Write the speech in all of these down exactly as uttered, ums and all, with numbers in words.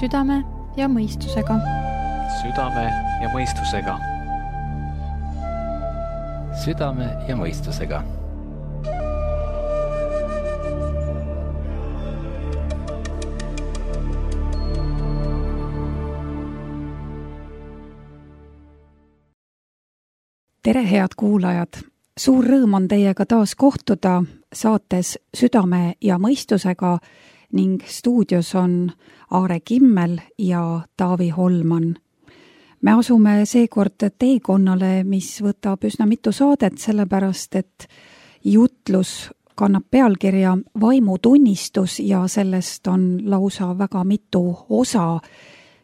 südame ja mõistusega. Südame ja mõistusega. Südame ja mõistusega. Tere, head kuulajad! Suur rõõm on teiega taas kohtuda saates Südame ja mõistusega ning stuudios on Aare Kimmel ja Taavi Holman. Me asume seekord teekonnale, mis võtab üsna mitu saadet, sellepärast et jutlus kannab pealkirja Vaimutunnistus ja sellest on lausa väga mitu osa.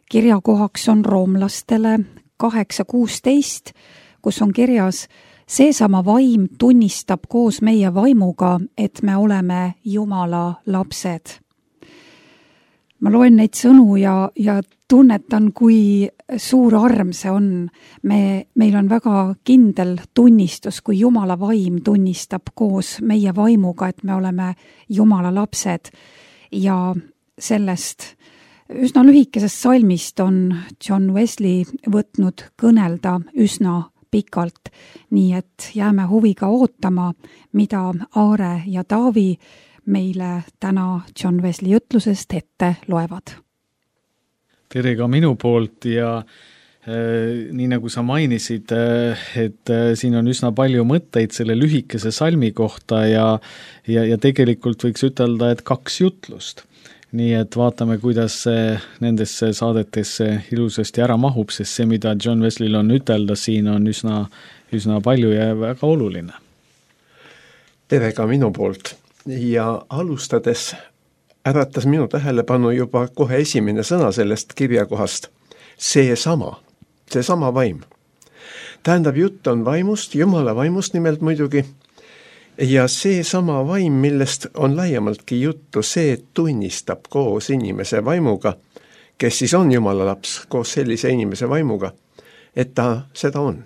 Kirjakohaks on roomlastele kaheksa kuusteist, kus on kirjas: seesama vaim tunnistab koos meie vaimuga, et me oleme Jumala lapsed. Ma loen neid sõnu ja, ja tunnetan, kui suur arm see on. Me, meil on väga kindel tunnistus, kui Jumala vaim tunnistab koos meie vaimuga, et me oleme Jumala lapsed. Ja sellest üsna lühikesest salmist on John Wesley võtnud kõnelda üsna pikalt, nii et jääme huviga ootama, mida Aare ja Taavi meile täna John Wesley ütlusest ette loevad. Tere ka minu poolt ja äh, nii nagu sa mainisid, äh, et äh, siin on üsna palju mõtteid selle lühikese salmi kohta ja, ja, ja tegelikult võiks ütelda, et kaks jutlust. Nii et vaatame, kuidas see nendesse saadetesse ilusasti ära mahub, sest see, mida John Wesleyl on ütelda, siin on üsna, üsna palju ja väga oluline. Tere ka minu poolt ja alustades äratas minu tähelepanu juba kohe esimene sõna sellest kirjakohast. See sama, see sama vaim. Tähendab, jutt on vaimust, Jumala vaimust nimelt muidugi. Ja see sama vaim, millest on laiemaltki juttu, see tunnistab koos inimese vaimuga, kes siis on Jumala laps, koos sellise inimese vaimuga, et ta seda on.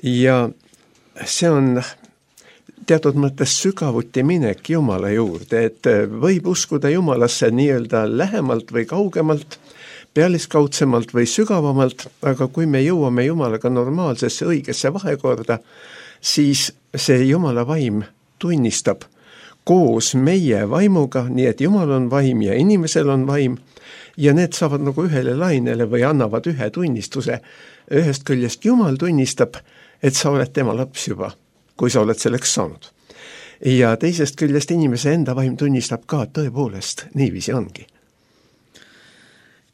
Ja see on teatud mõttes sügavuti minek Jumala juurde, et võib uskuda Jumalasse nii-öelda lähemalt või kaugemalt, pealiskaudsemalt või sügavamalt, aga kui me jõuame Jumalaga normaalsesse õigesse vahekorda, siis see Jumala vaim tunnistab koos meie vaimuga, nii et Jumal on vaim ja inimesel on vaim ja need saavad nagu ühele lainele või annavad ühe tunnistuse. Ühest küljest Jumal tunnistab, et sa oled tema laps juba, kui sa oled selleks saanud. Ja teisest küljest inimese enda vaim tunnistab ka, tõepoolest, niiviisi ongi.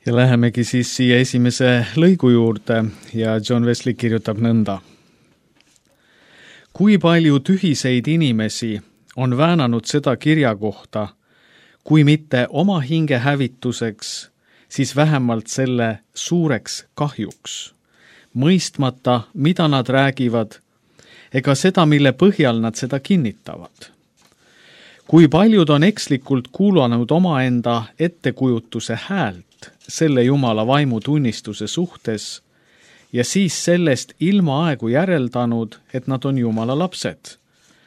Ja lähemegi siis siia esimese lõigu juurde ja John Wesley kirjutab nõnda. Kui palju tühiseid inimesi on väänanud seda kirja kohta, kui mitte oma hinge hävituseks, siis vähemalt selle suureks kahjuks, mõistmata, mida nad räägivad, ega seda, mille põhjal nad seda kinnitavad. Kui paljud on ekslikult kuulanud omaenda ettekujutuse häält selle Jumala vaimu tunnistuse suhtes, ja siis sellest ilma aegu järeldanud, et nad on Jumala lapsed,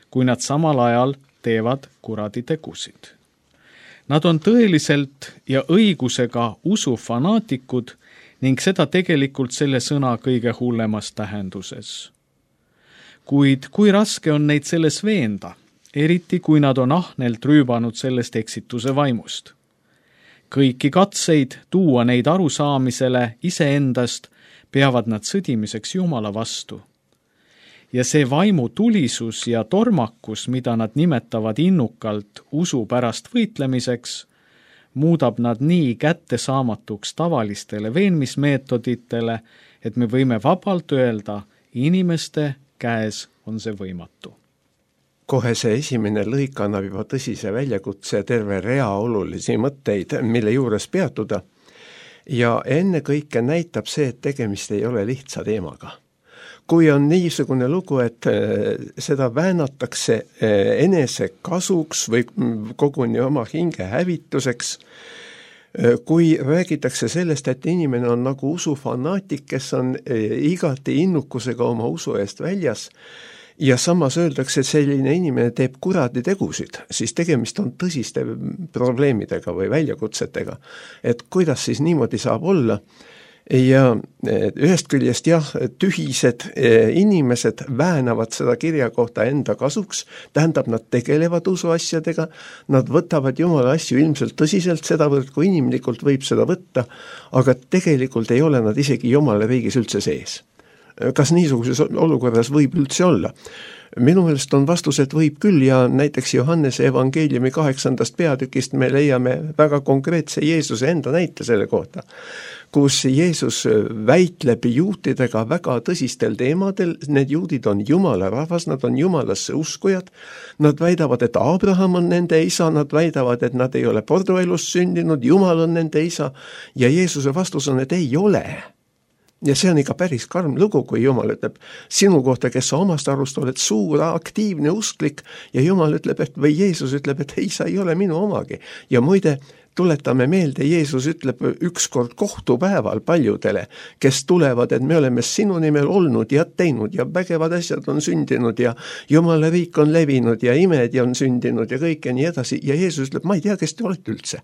kui nad samal ajal teevad kuradi tegusid. Nad on tõeliselt ja õigusega usufanaatikud ning seda tegelikult selle sõna kõige hullemas tähenduses. Kuid kui raske on neid selles veenda, eriti kui nad on ahnelt rüübanud sellest eksituse vaimust. Kõiki katseid tuua neid arusaamisele iseendast peavad nad sõdimiseks Jumala vastu. Ja see vaimu tulisus ja tormakus, mida nad nimetavad innukalt usu pärast võitlemiseks, muudab nad nii kättesaamatuks tavalistele veenmismeetoditele, et me võime vabalt öelda, inimeste käes on see võimatu. Kohe see esimene lõik annab juba tõsise väljakutse terve rea olulisi mõtteid, mille juures peatuda. Ja enne kõike näitab see, et tegemist ei ole lihtsa teemaga. Kui on niisugune lugu, et seda väänatakse enese kasuks või koguni oma hinge hävituseks, kui räägitakse sellest, et inimene on nagu usufanaatik, kes on igati innukusega oma usu eest väljas ja samas öeldakse, et selline inimene teeb kuradi tegusid, siis tegemist on tõsiste probleemidega või väljakutsetega. Et kuidas siis niimoodi saab olla? Ja ühest küljest jah, tühised inimesed väänavad seda kirja kohta enda kasuks, tähendab, nad tegelevad usuasjadega, nad võtavad Jumala asju ilmselt tõsiselt, sedavõrd kui inimlikult võib seda võtta, aga tegelikult ei ole nad isegi Jumala riigis üldse sees. Kas niisuguses olukorras võib üldse olla? Minu meelest on vastus, et võib küll ja näiteks Johannese evangeeliumi kaheksandast peatükist me leiame väga konkreetse Jeesuse enda näite selle kohta, kus Jeesus väitleb juutidega väga tõsistel teemadel, need juudid on Jumala rahvas, nad on Jumalasse uskujad, nad väidavad, et Abraham on nende isa, nad väidavad, et nad ei ole porduelust sündinud, Jumal on nende isa ja Jeesuse vastus on, et ei ole. Ja see on ikka päris karm lugu, kui Jumal ütleb sinu kohta, kes sa omast arust oled suur, aktiivne usklik ja Jumal ütleb, et või Jeesus ütleb, et ei, sa ei ole minu omagi. Ja muide, tuletame meelde, Jeesus ütleb ükskord kohtupäeval paljudele, kes tulevad, et me oleme sinu nimel olnud ja teinud ja vägevad asjad on sündinud ja Jumala riik on levinud ja imed on sündinud ja kõik ja nii edasi. Ja Jeesus ütleb, ma ei tea, kes te olete üldse.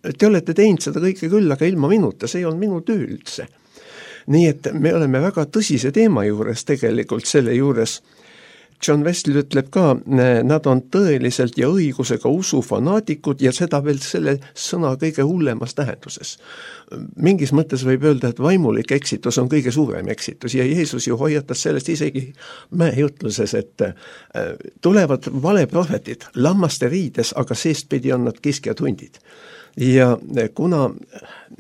Te olete teinud seda kõike küll, aga ilma minuta, see ei olnud minu töö üldse. Nii et me oleme väga tõsise teema juures tegelikult selle juures. John Wesley ütleb ka, nad on tõeliselt ja õigusega usufanaatikud ja seda veel selle sõna kõige hullemas tähenduses. Mingis mõttes võib öelda, et vaimulik eksitus on kõige suurem eksitus ja Jeesus ju hoiatas sellest isegi mäejutluses, et tulevad valeprohvetid lammaste riides, aga seestpidi on nad kiskjad hundid. Ja kuna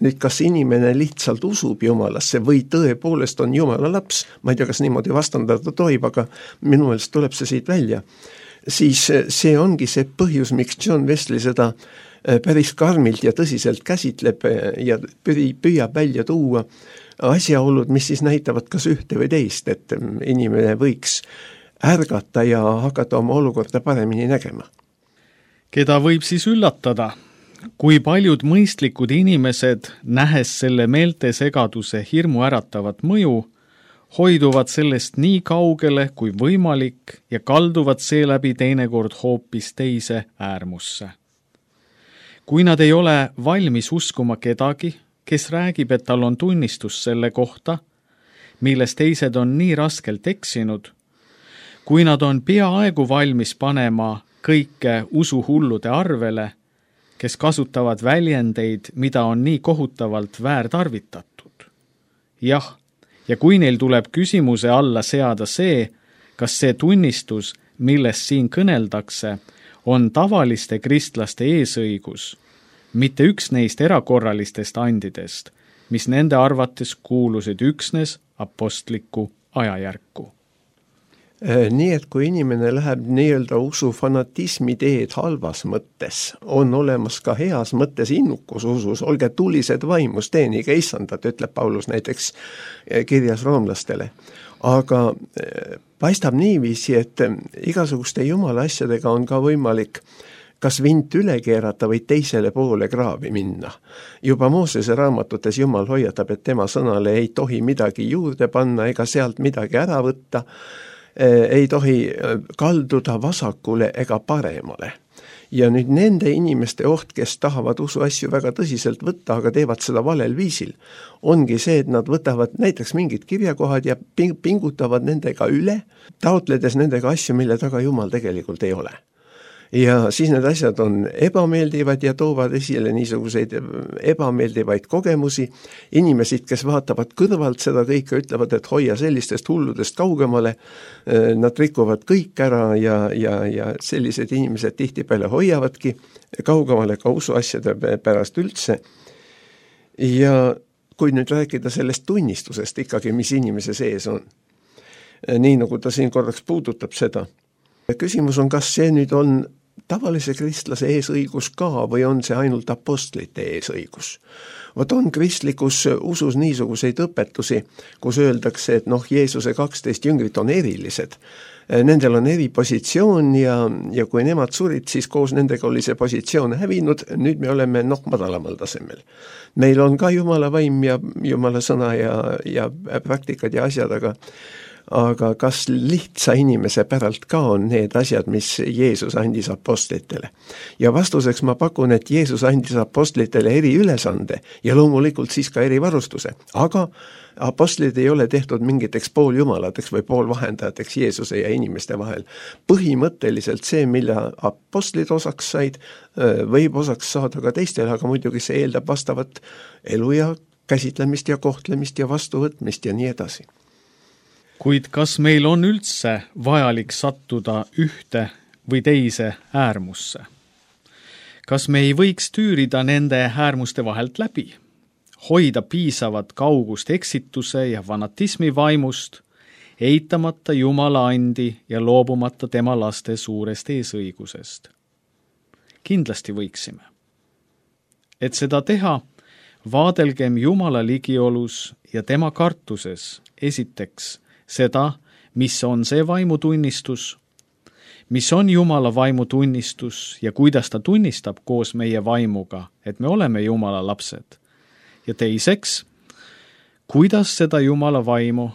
nüüd kas inimene lihtsalt usub Jumalasse või tõepoolest on Jumala laps, ma ei tea, kas niimoodi vastandada tohib, aga minu meelest tuleb see siit välja, siis see ongi see põhjus, miks John Wesley seda päris karmilt ja tõsiselt käsitleb ja püüab välja tuua asjaolud, mis siis näitavad kas ühte või teist, et inimene võiks ärgata ja hakata oma olukorda paremini nägema. Keda võib siis üllatada? Kui paljud mõistlikud inimesed, nähes selle meeltesegaduse hirmu äratavat mõju, hoiduvad sellest nii kaugele kui võimalik ja kalduvad seeläbi teinekord hoopis teise äärmusse. Kui nad ei ole valmis uskuma kedagi, kes räägib, et tal on tunnistus selle kohta, milles teised on nii raskelt eksinud, kui nad on peaaegu valmis panema kõike usuhullude arvele, kes kasutavad väljendeid, mida on nii kohutavalt väärtarvitatud. Jah, ja kui neil tuleb küsimuse alla seada see, kas see tunnistus, millest siin kõneldakse, on tavaliste kristlaste eesõigus, mitte üks neist erakorralistest andidest, mis nende arvates kuulusid üksnes apostliku ajajärku. Nii et kui inimene läheb nii-öelda usu fanatismi teed halvas mõttes, on olemas ka heas mõttes innukus usus, olge tulised vaimus, teenige issandat, ütleb Paulus näiteks kirjas roomlastele. Aga paistab niiviisi, et igasuguste Jumala asjadega on ka võimalik kas vint üle keerata või teisele poole kraavi minna. Juba Moosese raamatutes Jumal hoiatab, et tema sõnale ei tohi midagi juurde panna ega sealt midagi ära võtta, ei tohi kalduda vasakule ega paremale. Ja nüüd nende inimeste oht, kes tahavad usu asju väga tõsiselt võtta, aga teevad seda valel viisil, ongi see, et nad võtavad näiteks mingid kirjakohad ja pingutavad nendega üle, taotledes nendega asju, mille taga Jumal tegelikult ei ole. Ja siis need asjad on ebameeldivad ja toovad esile niisuguseid ebameeldivaid kogemusi. Inimesid, kes vaatavad kõrvalt seda kõike, ütlevad, et hoia sellistest hulludest kaugemale. Nad rikuvad kõik ära ja, ja, ja sellised inimesed tihtipeale hoiavadki kaugemale ka usuasjade pärast üldse. Ja kui nüüd rääkida sellest tunnistusest ikkagi, mis inimese sees on, nii nagu ta siin korraks puudutab seda, küsimus on, kas see nüüd on tavalise kristlase eesõigus ka või on see ainult apostlite eesõigus? Vot on kristlikus usus niisuguseid õpetusi, kus öeldakse, et noh, Jeesuse kaksteist jüngrit on erilised. Nendel on eri positsioon ja, ja kui nemad surid, siis koos nendega oli see positsioon hävinud, nüüd me oleme noh madalamal tasemel. Meil on ka Jumala vaim ja Jumala sõna ja, ja praktikad ja asjad, aga aga kas lihtsa inimese päralt ka on need asjad, mis Jeesus andis apostlitele? Ja vastuseks ma pakun, et Jeesus andis apostlitele eriülesande ja loomulikult siis ka erivarustuse, aga apostlid ei ole tehtud mingiteks pooljumalateks või poolvahendajateks Jeesuse ja inimeste vahel. Põhimõtteliselt see, mille apostlid osaks said, võib osaks saada ka teistele, aga muidugi see eeldab vastavat elu ja käsitlemist ja kohtlemist ja vastuvõtmist ja nii edasi. Kuid kas meil on üldse vajalik sattuda ühte või teise äärmusse? Kas me ei võiks tüürida nende äärmuste vahelt läbi? Hoida piisavat kaugust eksituse ja fanatismi vaimust, eitamata Jumala andi ja loobumata tema laste suurest eesõigusest? Kindlasti võiksime. Et seda teha, vaadelgem Jumala ligiolus ja tema kartuses esiteks seda, mis on see vaimutunnistus, mis on Jumala vaimutunnistus ja kuidas ta tunnistab koos meie vaimuga, et me oleme Jumala lapsed. Ja teiseks, kuidas seda Jumala vaimu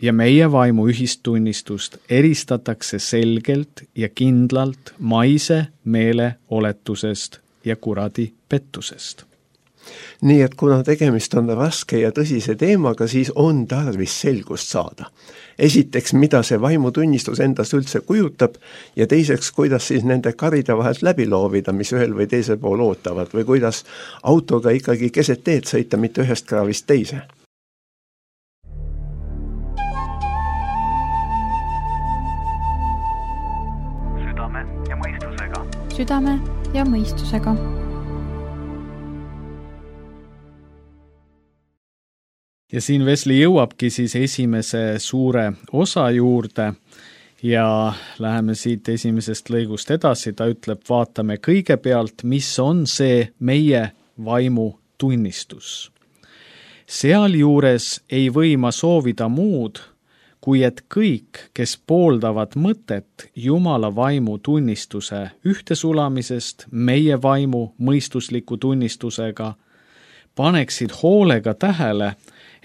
ja meie vaimu ühistunnistust eristatakse selgelt ja kindlalt maise meeleoletusest ja kuradi pettusest. Nii et kuna tegemist on raske ja tõsise teemaga, siis on tarvis selgust saada. Esiteks, mida see vaimutunnistus endast üldse kujutab ja teiseks, kuidas siis nende karide vahelt läbi loovida, mis ühel või teisel pool ootavad või kuidas autoga ikkagi keset teed sõita, mitte ühest kraavist teise. Südame ja mõistusega. Südame ja mõistusega. Ja siin Vesli jõuabki siis esimese suure osa juurde ja läheme siit esimesest lõigust edasi. Ta ütleb, vaatame kõigepealt, mis on see meie vaimu tunnistus. Sealjuures ei või ma soovida muud, kui et kõik, kes pooldavad mõtet Jumala vaimu tunnistuse ühtesulamisest meie vaimu mõistusliku tunnistusega, paneksid hoolega tähele,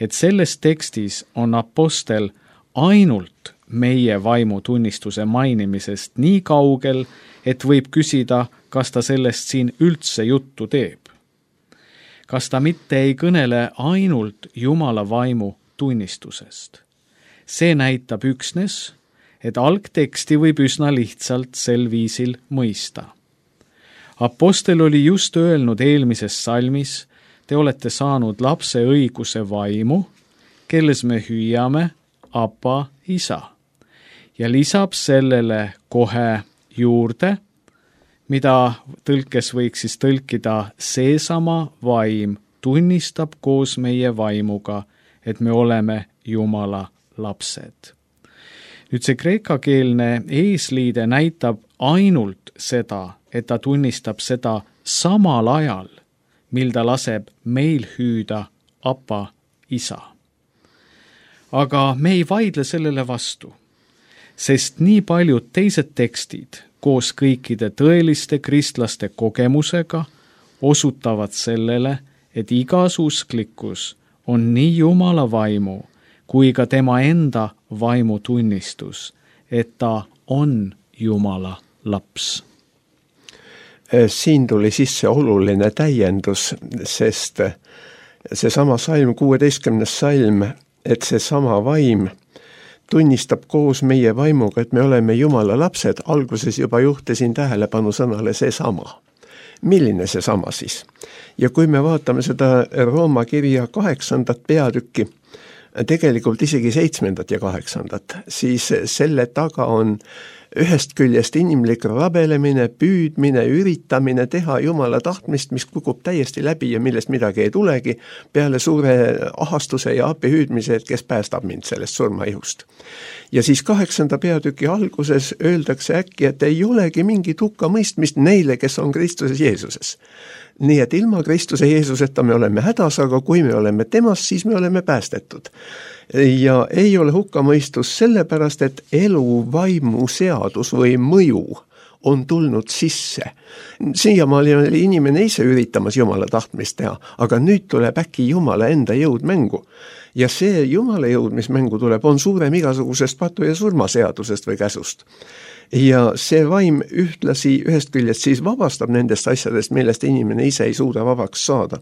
et selles tekstis on apostel ainult meie vaimu tunnistuse mainimisest nii kaugel, et võib küsida, kas ta sellest siin üldse juttu teeb. Kas ta mitte ei kõnele ainult Jumala vaimu tunnistusest? See näitab üksnes, et algteksti võib üsna lihtsalt sel viisil mõista. Apostel oli just öelnud eelmises salmis, te olete saanud lapse õiguse vaimu, kelles me hüüame Abba isa. Ja lisab sellele kohe juurde, mida tõlkes võiks siis tõlkida seesama vaim tunnistab koos meie vaimuga, et me oleme Jumala lapsed. Nüüd see kreekakeelne eesliide näitab ainult seda, et ta tunnistab seda samal ajal, mil ta laseb meil hüüda Abba isa. Aga me ei vaidle sellele vastu, sest nii paljud teised tekstid koos kõikide tõeliste kristlaste kogemusega osutavad sellele, et igas usklikkus on nii Jumala vaimu kui ka tema enda vaimu tunnistus, et ta on Jumala laps. Siin tuli sisse oluline täiendus, sest see sama salm, kuueteistkümnes salm, et see sama vaim tunnistab koos meie vaimuga, et me oleme Jumala lapsed, alguses juba juhtisin tähelepanu sõnale see sama. Milline see sama siis? Ja kui me vaatame seda Rooma kirja kaheksandat peatükki, tegelikult isegi seitsmendat ja kaheksandat, siis selle taga on ühest küljest inimlik rabelemine, püüdmine, üritamine teha Jumala tahtmist, mis kukub täiesti läbi ja millest midagi ei tulegi, peale suure ahastuse ja appi hüüdmise, et kes päästab mind sellest surmaihust. Ja siis kaheksanda peatüki alguses öeldakse äkki, et ei olegi mingit hukka mõistmist neile, kes on Kristuses Jeesuses. Nii et ilma Kristuse Jeesuseta me oleme hädas, aga kui me oleme temas, siis me oleme päästetud. Ja ei ole hukkamõistus sellepärast, et elu vaimu seadus või mõju on tulnud sisse. Siiamaali oli inimene ise üritamas Jumala tahtmist teha, aga nüüd tuleb äkki Jumala enda jõud mängu. Ja see Jumala jõud, mis mängu tuleb, on suurem igasugusest patu- ja surmaseadusest või käsust. Ja see vaim ühtlasi ühest küljest siis vabastab nendest asjadest, millest inimene ise ei suuda vabaks saada.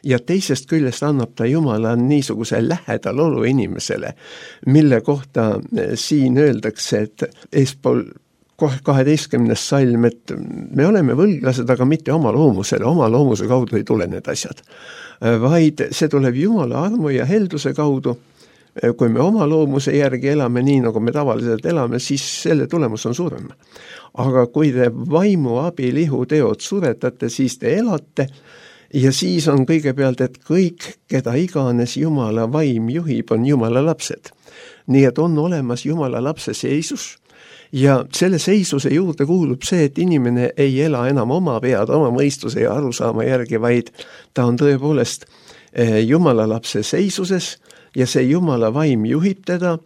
Ja teisest küljest annab ta Jumala niisuguse lähedal olu inimesele, mille kohta siin öeldakse, et eespool kaheteistkümnes salm, et me oleme võlglased, aga mitte oma loomusele, oma loomuse kaudu ei tule need asjad, vaid see tuleb Jumala armu ja helduse kaudu. Kui me oma loomuse järgi elame nii, nagu me tavaliselt elame, siis selle tulemus on suurem. Aga kui te vaimu abil ihuteod suretate, siis te elate ja siis on kõigepealt, et kõik, keda iganes Jumala vaim juhib, on Jumala lapsed. Nii et on olemas Jumala lapse seisus ja selle seisuse juurde kuulub see, et inimene ei ela enam oma pead, oma mõistuse ja arusaama järgi, vaid ta on tõepoolest Jumala lapse seisuses ja see Jumala vaim juhib teda.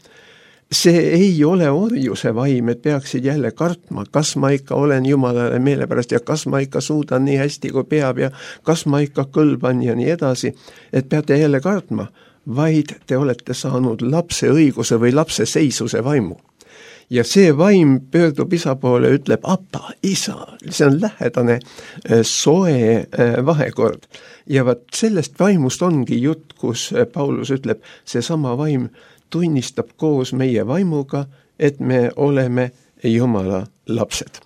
See ei ole orjuse vaim, et peaksid jälle kartma, kas ma ikka olen Jumalale meelepärast ja kas ma ikka suudan nii hästi kui peab ja kas ma ikka kõlban ja nii edasi, et peate jälle kartma, vaid te olete saanud lapse õiguse või lapse seisuse vaimu. Ja see vaim pöördub isa poole, ütleb, apa, isa, see on lähedane soe vahekord. Ja vaat sellest vaimust ongi jutt, kus Paulus ütleb, see sama vaim tunnistab koos meie vaimuga, et me oleme Jumala lapsed.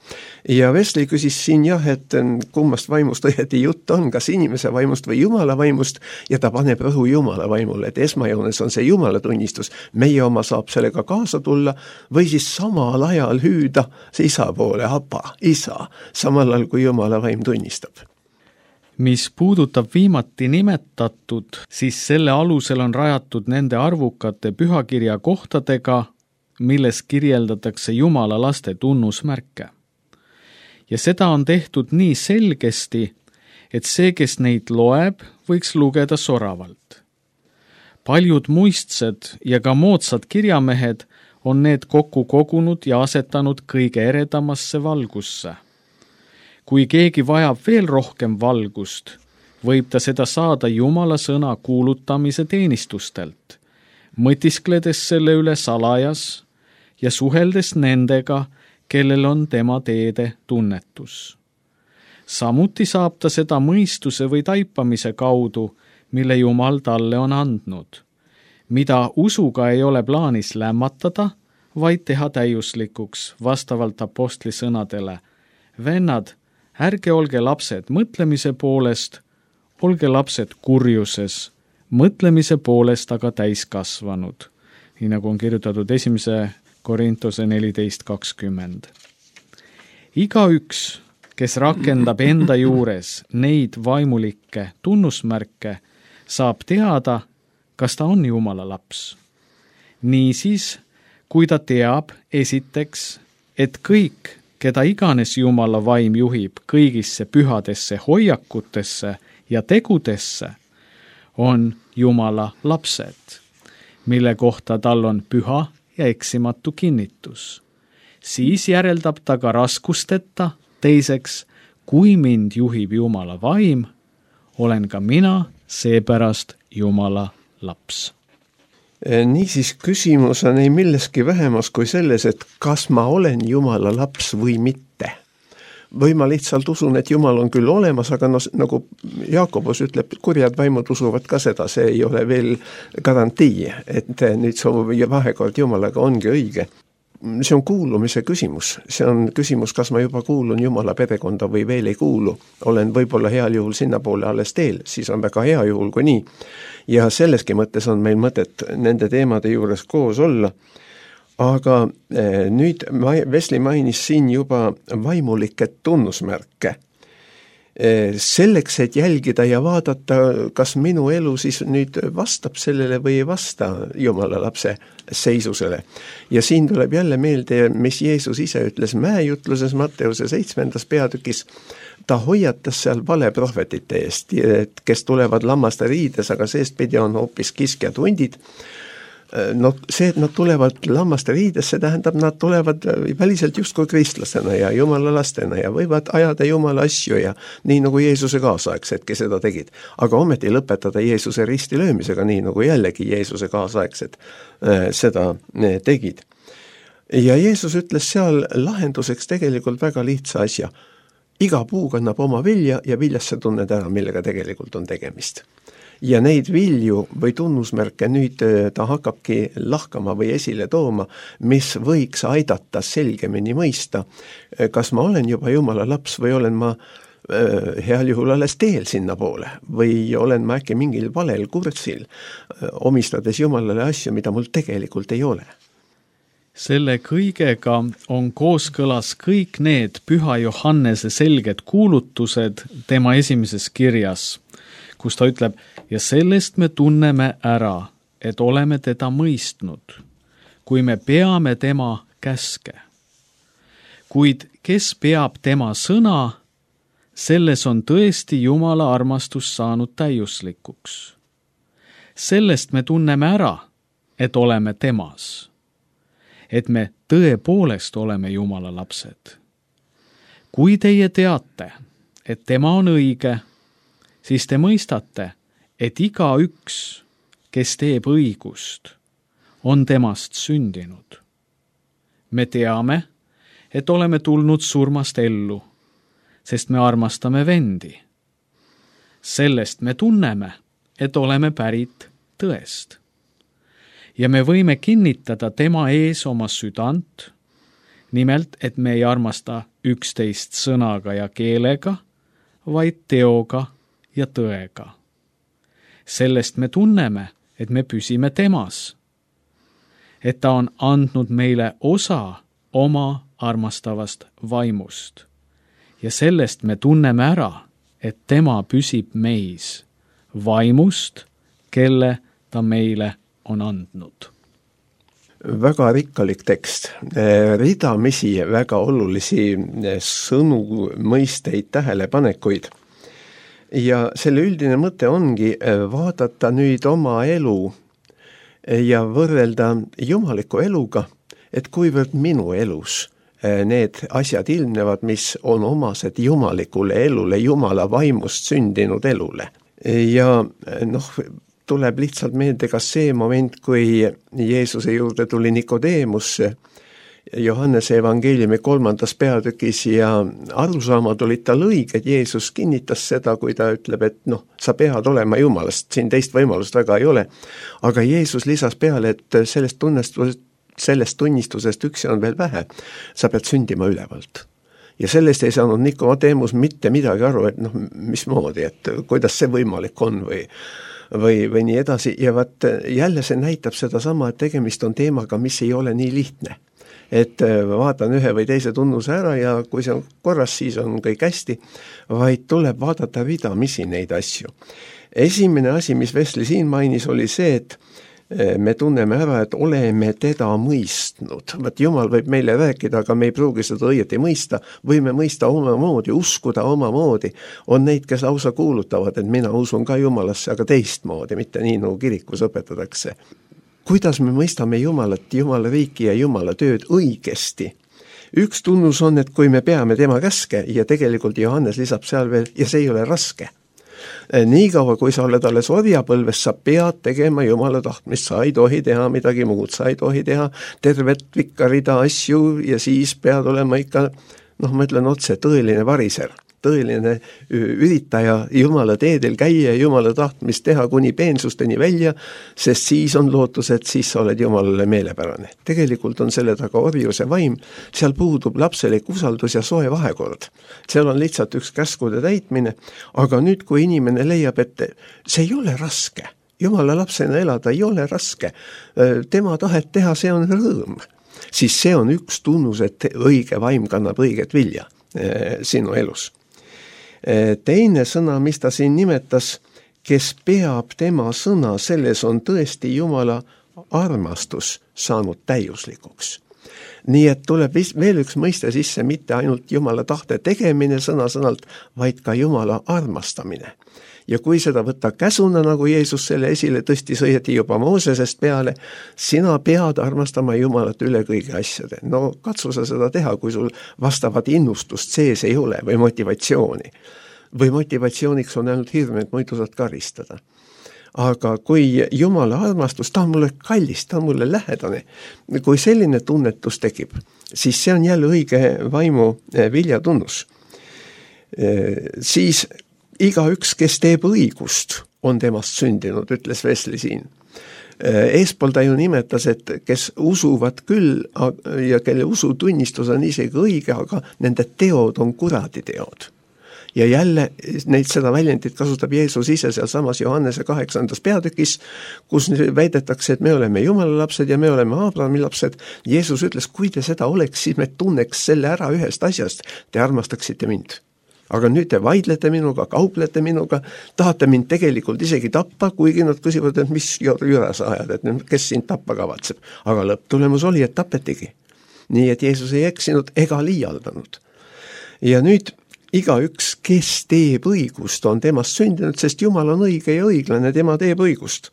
Ja Vesli küsis siin jah, et kummast vaimust õieti jutt on, kas inimese vaimust või Jumala vaimust, ja ta paneb rõhu Jumala vaimule, et esmajoones on see Jumala tunnistus, meie oma saab sellega kaasa tulla, või siis samal ajal hüüda see isa poole, apa, isa, samal ajal kui Jumala vaim tunnistab. Mis puudutab viimati nimetatud, siis selle alusel on rajatud nende arvukate pühakirja kohtadega, milles kirjeldatakse Jumala laste tunnusmärke. Ja seda on tehtud nii selgesti, et see, kes neid loeb, võiks lugeda soravalt. Paljud muistsed ja ka moodsad kirjamehed on need kokku kogunud ja asetanud kõige eredamasse valgusse. Kui keegi vajab veel rohkem valgust, võib ta seda saada Jumala sõna kuulutamise teenistustelt, mõtiskledes selle üle salajas ja suheldes nendega, kellel on tema teede tunnetus. Samuti saab ta seda mõistuse või taipamise kaudu, mille Jumal talle on andnud, mida usuga ei ole plaanis lämmatada, vaid teha täiuslikuks vastavalt apostli sõnadele. Vennad, ärge olge lapsed mõtlemise poolest, olge lapsed kurjuses, mõtlemise poolest aga täiskasvanud. Nii nagu on kirjutatud esimese Korintuse neliteist kakskümmend. Igaüks, kes rakendab enda juures neid vaimulikke tunnusmärke, saab teada, kas ta on Jumala laps. Niisiis, kui ta teab esiteks, et kõik, keda iganes Jumala vaim juhib kõigisse pühadesse hoiakutesse ja tegudesse, on Jumala lapsed, mille kohta tal on püha ja eksimatu kinnitus. Siis järeldab ta ka raskusteta, teiseks, kui mind juhib Jumala vaim, olen ka mina seepärast Jumala laps. Niisiis küsimus on ei milleski vähemas kui selles, et kas ma olen Jumala laps või mitte. Või ma lihtsalt usun, et Jumal on küll olemas, aga no, nagu Jaakobus ütleb, kurjad vaimud usuvad ka seda, see ei ole veel garantii, et nüüd see vahekord Jumalaga ongi õige. See on kuulumise küsimus, see on küsimus, kas ma juba kuulun Jumala perekonda või veel ei kuulu. Olen võib-olla heal juhul sinna poole alles teel, siis on väga hea juhul kui nii. Ja selleski mõttes on meil mõtet nende teemade juures koos olla. Aga nüüd Vesli mainis siin juba vaimulikke tunnusmärke. Selleks, et jälgida ja vaadata, kas minu elu siis nüüd vastab sellele või ei vasta Jumala lapse seisusele. Ja siin tuleb jälle meelde, mis Jeesus ise ütles mäejutluses Matteuse seitsmendas peatükis. Ta hoiatas seal valeprohvetite eest, kes tulevad lammaste riides, aga seestpidi on hoopis kiskjad hundid. no see, et nad tulevad lammaste riidesse, tähendab, nad tulevad väliselt justkui kristlasena ja jumala lastena ja võivad ajada jumala asju ja nii nagu Jeesuse kaasaegsedki seda tegid. Aga ometi lõpetada Jeesuse risti löömisega, nii nagu jällegi Jeesuse kaasaegsed äh, seda äh, tegid. Ja Jeesus ütles seal lahenduseks tegelikult väga lihtsa asja. Iga puu kannab oma vilja ja viljast sa tunned ära, millega tegelikult on tegemist. Ja neid vilju või tunnusmärke nüüd ta hakkabki lahkama või esile tooma, mis võiks aidata selgemini mõista, kas ma olen juba jumala laps või olen ma heal juhul alles teel sinna poole või olen ma äkki mingil valel kursil, omistades jumalale asju, mida mul tegelikult ei ole. Selle kõigega on kooskõlas kõik need Püha Johannese selged kuulutused tema esimeses kirjas, kus ta ütleb, ja sellest me tunneme ära, et oleme teda mõistnud, kui me peame tema käske. Kuid kes peab tema sõna, selles on tõesti Jumala armastus saanud täiuslikuks. Sellest me tunneme ära, et oleme temas, et me tõepoolest oleme Jumala lapsed. Kui teie teate, et tema on õige, siis te mõistate, et iga üks, kes teeb õigust, on temast sündinud. Me teame, et oleme tulnud surmast ellu, sest me armastame vendi. Sellest me tunneme, et oleme pärit tõest. Ja me võime kinnitada tema ees oma südant, nimelt, et me ei armasta üksteist sõnaga ja keelega, vaid teoga ja tõega. Sellest me tunneme, et me püsime temas, et ta on andnud meile osa oma armastavast vaimust. Ja sellest me tunneme ära, et tema püsib meis vaimust, kelle ta meile on andnud. Väga rikkalik tekst, ridamisi väga olulisi sõnu, mõisteid, tähelepanekuid. Ja selle üldine mõte ongi vaadata nüüd oma elu ja võrrelda jumaliku eluga, et kuivõrd minu elus need asjad ilmnevad, mis on omased jumalikule elule, jumala vaimust sündinud elule. Ja noh, tuleb lihtsalt meelde ka see moment, kui Jeesuse juurde tuli Nikodeemus Johannese evangeeliumi kolmandas peatükis ja arusaamad olid tal õiged. Jeesus kinnitas seda, kui ta ütleb, et noh, sa pead olema jumalast, siin teist võimalust väga ei ole. Aga Jeesus lisas peale, et sellest tunnistusest, sellest tunnistusest üksi on veel vähe. Sa pead sündima ülevalt. Ja sellest ei saanud Nikodeemus mitte midagi aru, et noh, mismoodi, et kuidas see võimalik on või Või, või nii edasi. Ja vaat jälle see näitab seda sama, et tegemist on teemaga, mis ei ole nii lihtne. Et vaatan ühe või teise tunnuse ära ja kui see on korras, siis on kõik hästi, vaid tuleb vaadata ridamisi neid asju. Esimene asi, mis Vesli siin mainis, oli see, et me tunneme ära, et oleme teda mõistnud. Vaat Jumal võib meile rääkida, aga me ei pruugi seda õieti mõista. Võime mõista omamoodi, uskuda omamoodi. On neid, kes lausa kuulutavad, et mina usun ka Jumalasse, aga teistmoodi, mitte nii nagu kirikus õpetatakse. Kuidas me mõistame Jumalat, Jumala riiki ja Jumala tööd õigesti? Üks tunnus on, et kui me peame tema käske ja tegelikult Johannes lisab seal veel, ja see ei ole raske. Nii kaua, kui sa oled alles orjapõlves, sa pead tegema Jumala tahtmist, sa ei tohi teha midagi muud, sa ei tohi teha tervet pikka rida asju ja siis pead olema ikka, noh, ma ütlen otse, tõeline variser, tõeline üritaja Jumala teedel käia ja Jumala tahtmist teha kuni peensusteni välja, sest siis on lootus, et siis sa oled Jumalale meelepärane. Tegelikult on selle taga orjuse vaim, seal puudub lapselik usaldus ja soe vahekord. Seal on lihtsalt üks käskude täitmine, aga nüüd, kui inimene leiab, et see ei ole raske, Jumala lapsena elada ei ole raske, tema tahet teha, see on rõõm, siis see on üks tunnus, et õige vaim kannab õiget vilja sinu elus. Teine sõna, mis ta siin nimetas, kes peab tema sõna, selles on tõesti Jumala armastus saanud täiuslikuks. nii et tuleb veel üks mõiste sisse, mitte ainult Jumala tahte tegemine sõna-sõnalt, vaid ka Jumala armastamine. Ja kui seda võtta käsuna, nagu Jeesus selle esile tõstis õieti juba Moosesest peale, sina pead armastama Jumalat üle kõigi asjade. No katsu sa seda teha, kui sul vastavat innustust sees ei ole või motivatsiooni. Või motivatsiooniks on ainult hirm, et muidu saad karistada. Aga kui Jumala armastus, ta on mulle kallis, ta on mulle lähedane, kui selline tunnetus tekib, siis see on jälle õige vaimu viljatunnus. Siis igaüks, kes teeb õigust, on temast sündinud, ütles Wesley siin. Eespool ta ju nimetas, et kes usuvad küll ja kelle usutunnistus on isegi õige, aga nende teod on kuradi teod. Ja jälle neid seda väljendit kasutab Jeesus ise seal samas Johannese kaheksandas peatükis, kus väidetakse, et me oleme Jumala lapsed ja me oleme Abrahami lapsed. Jeesus ütles, kui te seda oleks, siis me tunneks selle ära ühest asjast, te armastaksite mind. Aga nüüd te vaidlete minuga, kauplete minuga, tahate mind tegelikult isegi tappa, kuigi nad küsivad, et mis jüra sa ajad, et kes sind tappa kavatseb. Aga lõpptulemus oli, et tapetigi. Nii et Jeesus ei eksinud ega liialdanud. Ja nüüd igaüks, kes teeb õigust, on temast sündinud, sest Jumal on õige ja õiglane, tema teeb õigust.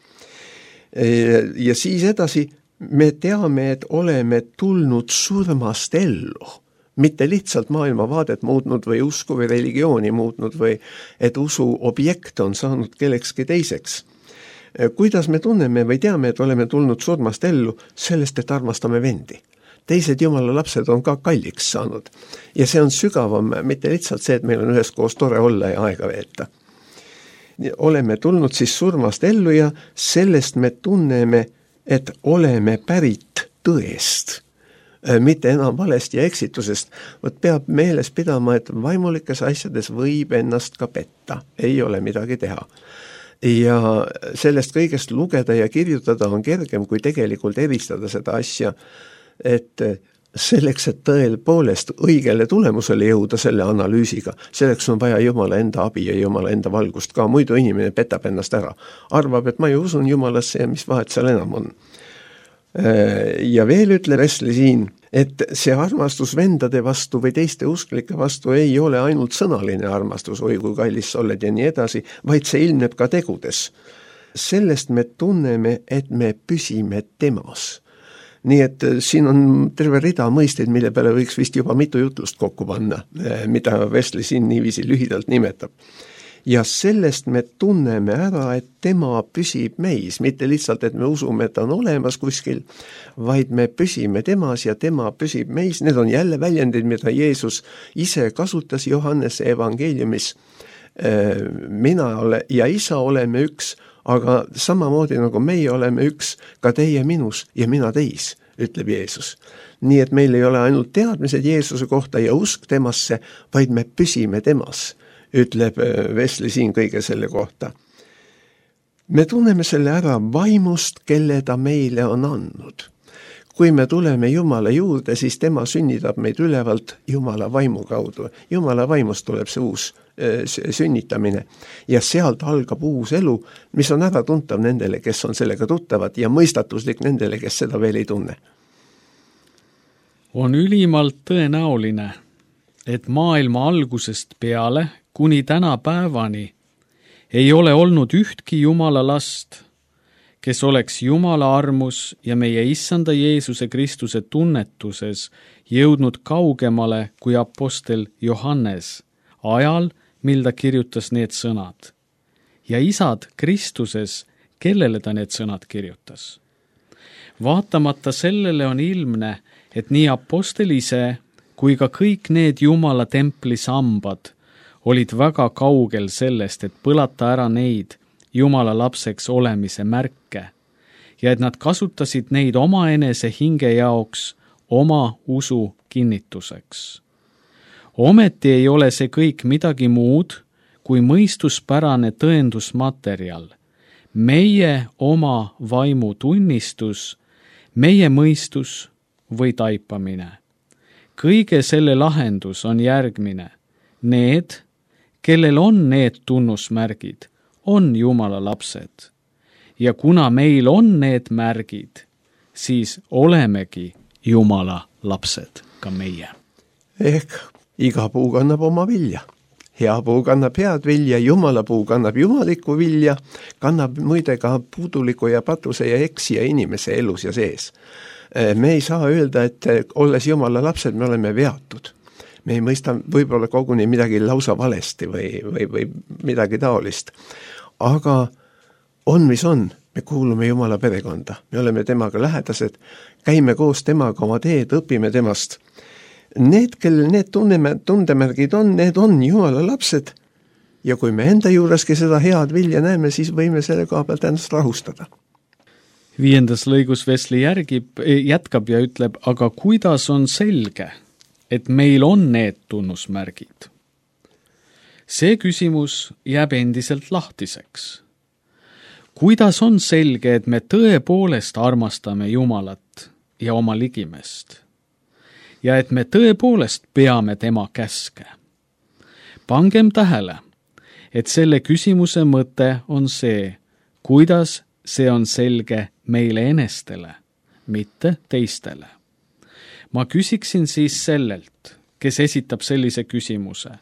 Ja siis edasi me teame, et oleme tulnud surmast ellu, mitte lihtsalt maailmavaadet muutnud või usku või religiooni muutnud või et usu objekt on saanud kellekski teiseks. Kuidas me tunneme või teame, et oleme tulnud surmast ellu, sellest, et armastame vendi. Teised Jumala lapsed on ka kalliks saanud. Ja see on sügavam, mitte lihtsalt see, et meil on üheskoos tore olla ja aega veeta. Oleme tulnud siis surmast ellu ja sellest me tunneme, et oleme pärit tõest. Mitte enam valest ja eksitusest. Võt peab meeles pidama, et vaimulikes asjades võib ennast ka petta. Ei ole midagi teha. Ja sellest kõigest lugeda ja kirjutada on kergem, kui tegelikult eristada seda asja, et selleks, et tõel poolest õigele tulemusele jõuda selle analüüsiga, selleks on vaja Jumala enda abi ja Jumala enda valgust ka, muidu inimene petab ennast ära. Arvab, et ma ju usun Jumalasse ja mis vahet seal enam on. Ja veel ütle Wesley siin, et see armastus vendade vastu või teiste usklike vastu ei ole ainult sõnaline armastus, oi kui kallis sa oled ja nii edasi, vaid see ilmneb ka tegudes. Sellest me tunneme, et me püsime temas. Nii et siin on terve rida mõisteid, mille peale võiks vist juba mitu jutlust kokku panna, mida Wesley siin niiviisi lühidalt nimetab. Ja sellest me tunneme ära, et tema püsib meis, mitte lihtsalt, et me usume, et ta on olemas kuskil, vaid me püsime temas ja tema püsib meis. Need on jälle väljendid, mida Jeesus ise kasutas Johannese evangeeliumis. Mina ole, ja isa oleme üks, aga samamoodi nagu meie oleme üks, ka teie minus ja mina teis, ütleb Jeesus. Nii et meil ei ole ainult teadmised Jeesuse kohta ja usk temasse, vaid me püsime temas, ütleb Wesley siin kõige selle kohta. Me tunneme selle ära vaimust, kelle ta meile on andnud. Kui me tuleme Jumala juurde, siis tema sünnitab meid ülevalt Jumala vaimu kaudu. Jumala vaimust tuleb see uus sünnitamine ja sealt algab uus elu, mis on ära tuntav nendele, kes on sellega tuttavad ja mõistatuslik nendele, kes seda veel ei tunne. On ülimalt tõenäoline, et maailma algusest peale kuni täna päevani ei ole olnud ühtki Jumala last, kes oleks Jumala armus ja meie issanda Jeesuse Kristuse tunnetuses jõudnud kaugemale kui apostel Johannes ajal, mil ta kirjutas need sõnad. Ja isad Kristuses, kellele ta need sõnad kirjutas. Vaatamata sellele on ilmne, et nii apostel ise kui ka kõik need Jumala templi sambad olid väga kaugel sellest, et põlata ära neid Jumala lapseks olemise märke ja et nad kasutasid neid omaenese hinge jaoks oma usu kinnituseks. Ometi ei ole see kõik midagi muud kui mõistuspärane tõendusmaterjal, meie oma vaimu tunnistus, meie mõistus või taipamine. Kõige selle lahendus on järgmine. Need, kellel on need tunnusmärgid, on Jumala lapsed. Ja kuna meil on need märgid, siis olemegi Jumala lapsed, ka meie. Ehk iga puu kannab oma vilja. Hea puu kannab head vilja, Jumala puu kannab jumalikku vilja, kannab muide ka puuduliku ja patuse ja eksija inimese elus ja sees. Me ei saa öelda, et olles Jumala lapsed, me oleme veatud. Me ei mõista võib-olla koguni midagi lausa valesti või, või, või midagi taolist. Aga on, mis on, me kuulume Jumala perekonda, me oleme temaga lähedased, käime koos temaga oma teed, õpime temast. Need, kellel need tunneme, tundemärgid on, need on Jumala lapsed ja kui me enda juureski seda head vilja näeme, siis võime selle koha pealt ennast rahustada. Viiendas lõigus Wesley järgib, jätkab ja ütleb, aga kuidas on selge, et meil on need tunnusmärgid? See küsimus jääb endiselt lahtiseks. Kuidas on selge, et me tõepoolest armastame Jumalat ja oma ligimest? Ja et me tõepoolest peame tema käske. Pangem tähele, et selle küsimuse mõte on see, kuidas see on selge meile enestele, mitte teistele. Ma küsiksin siis sellelt, kes esitab sellise küsimuse,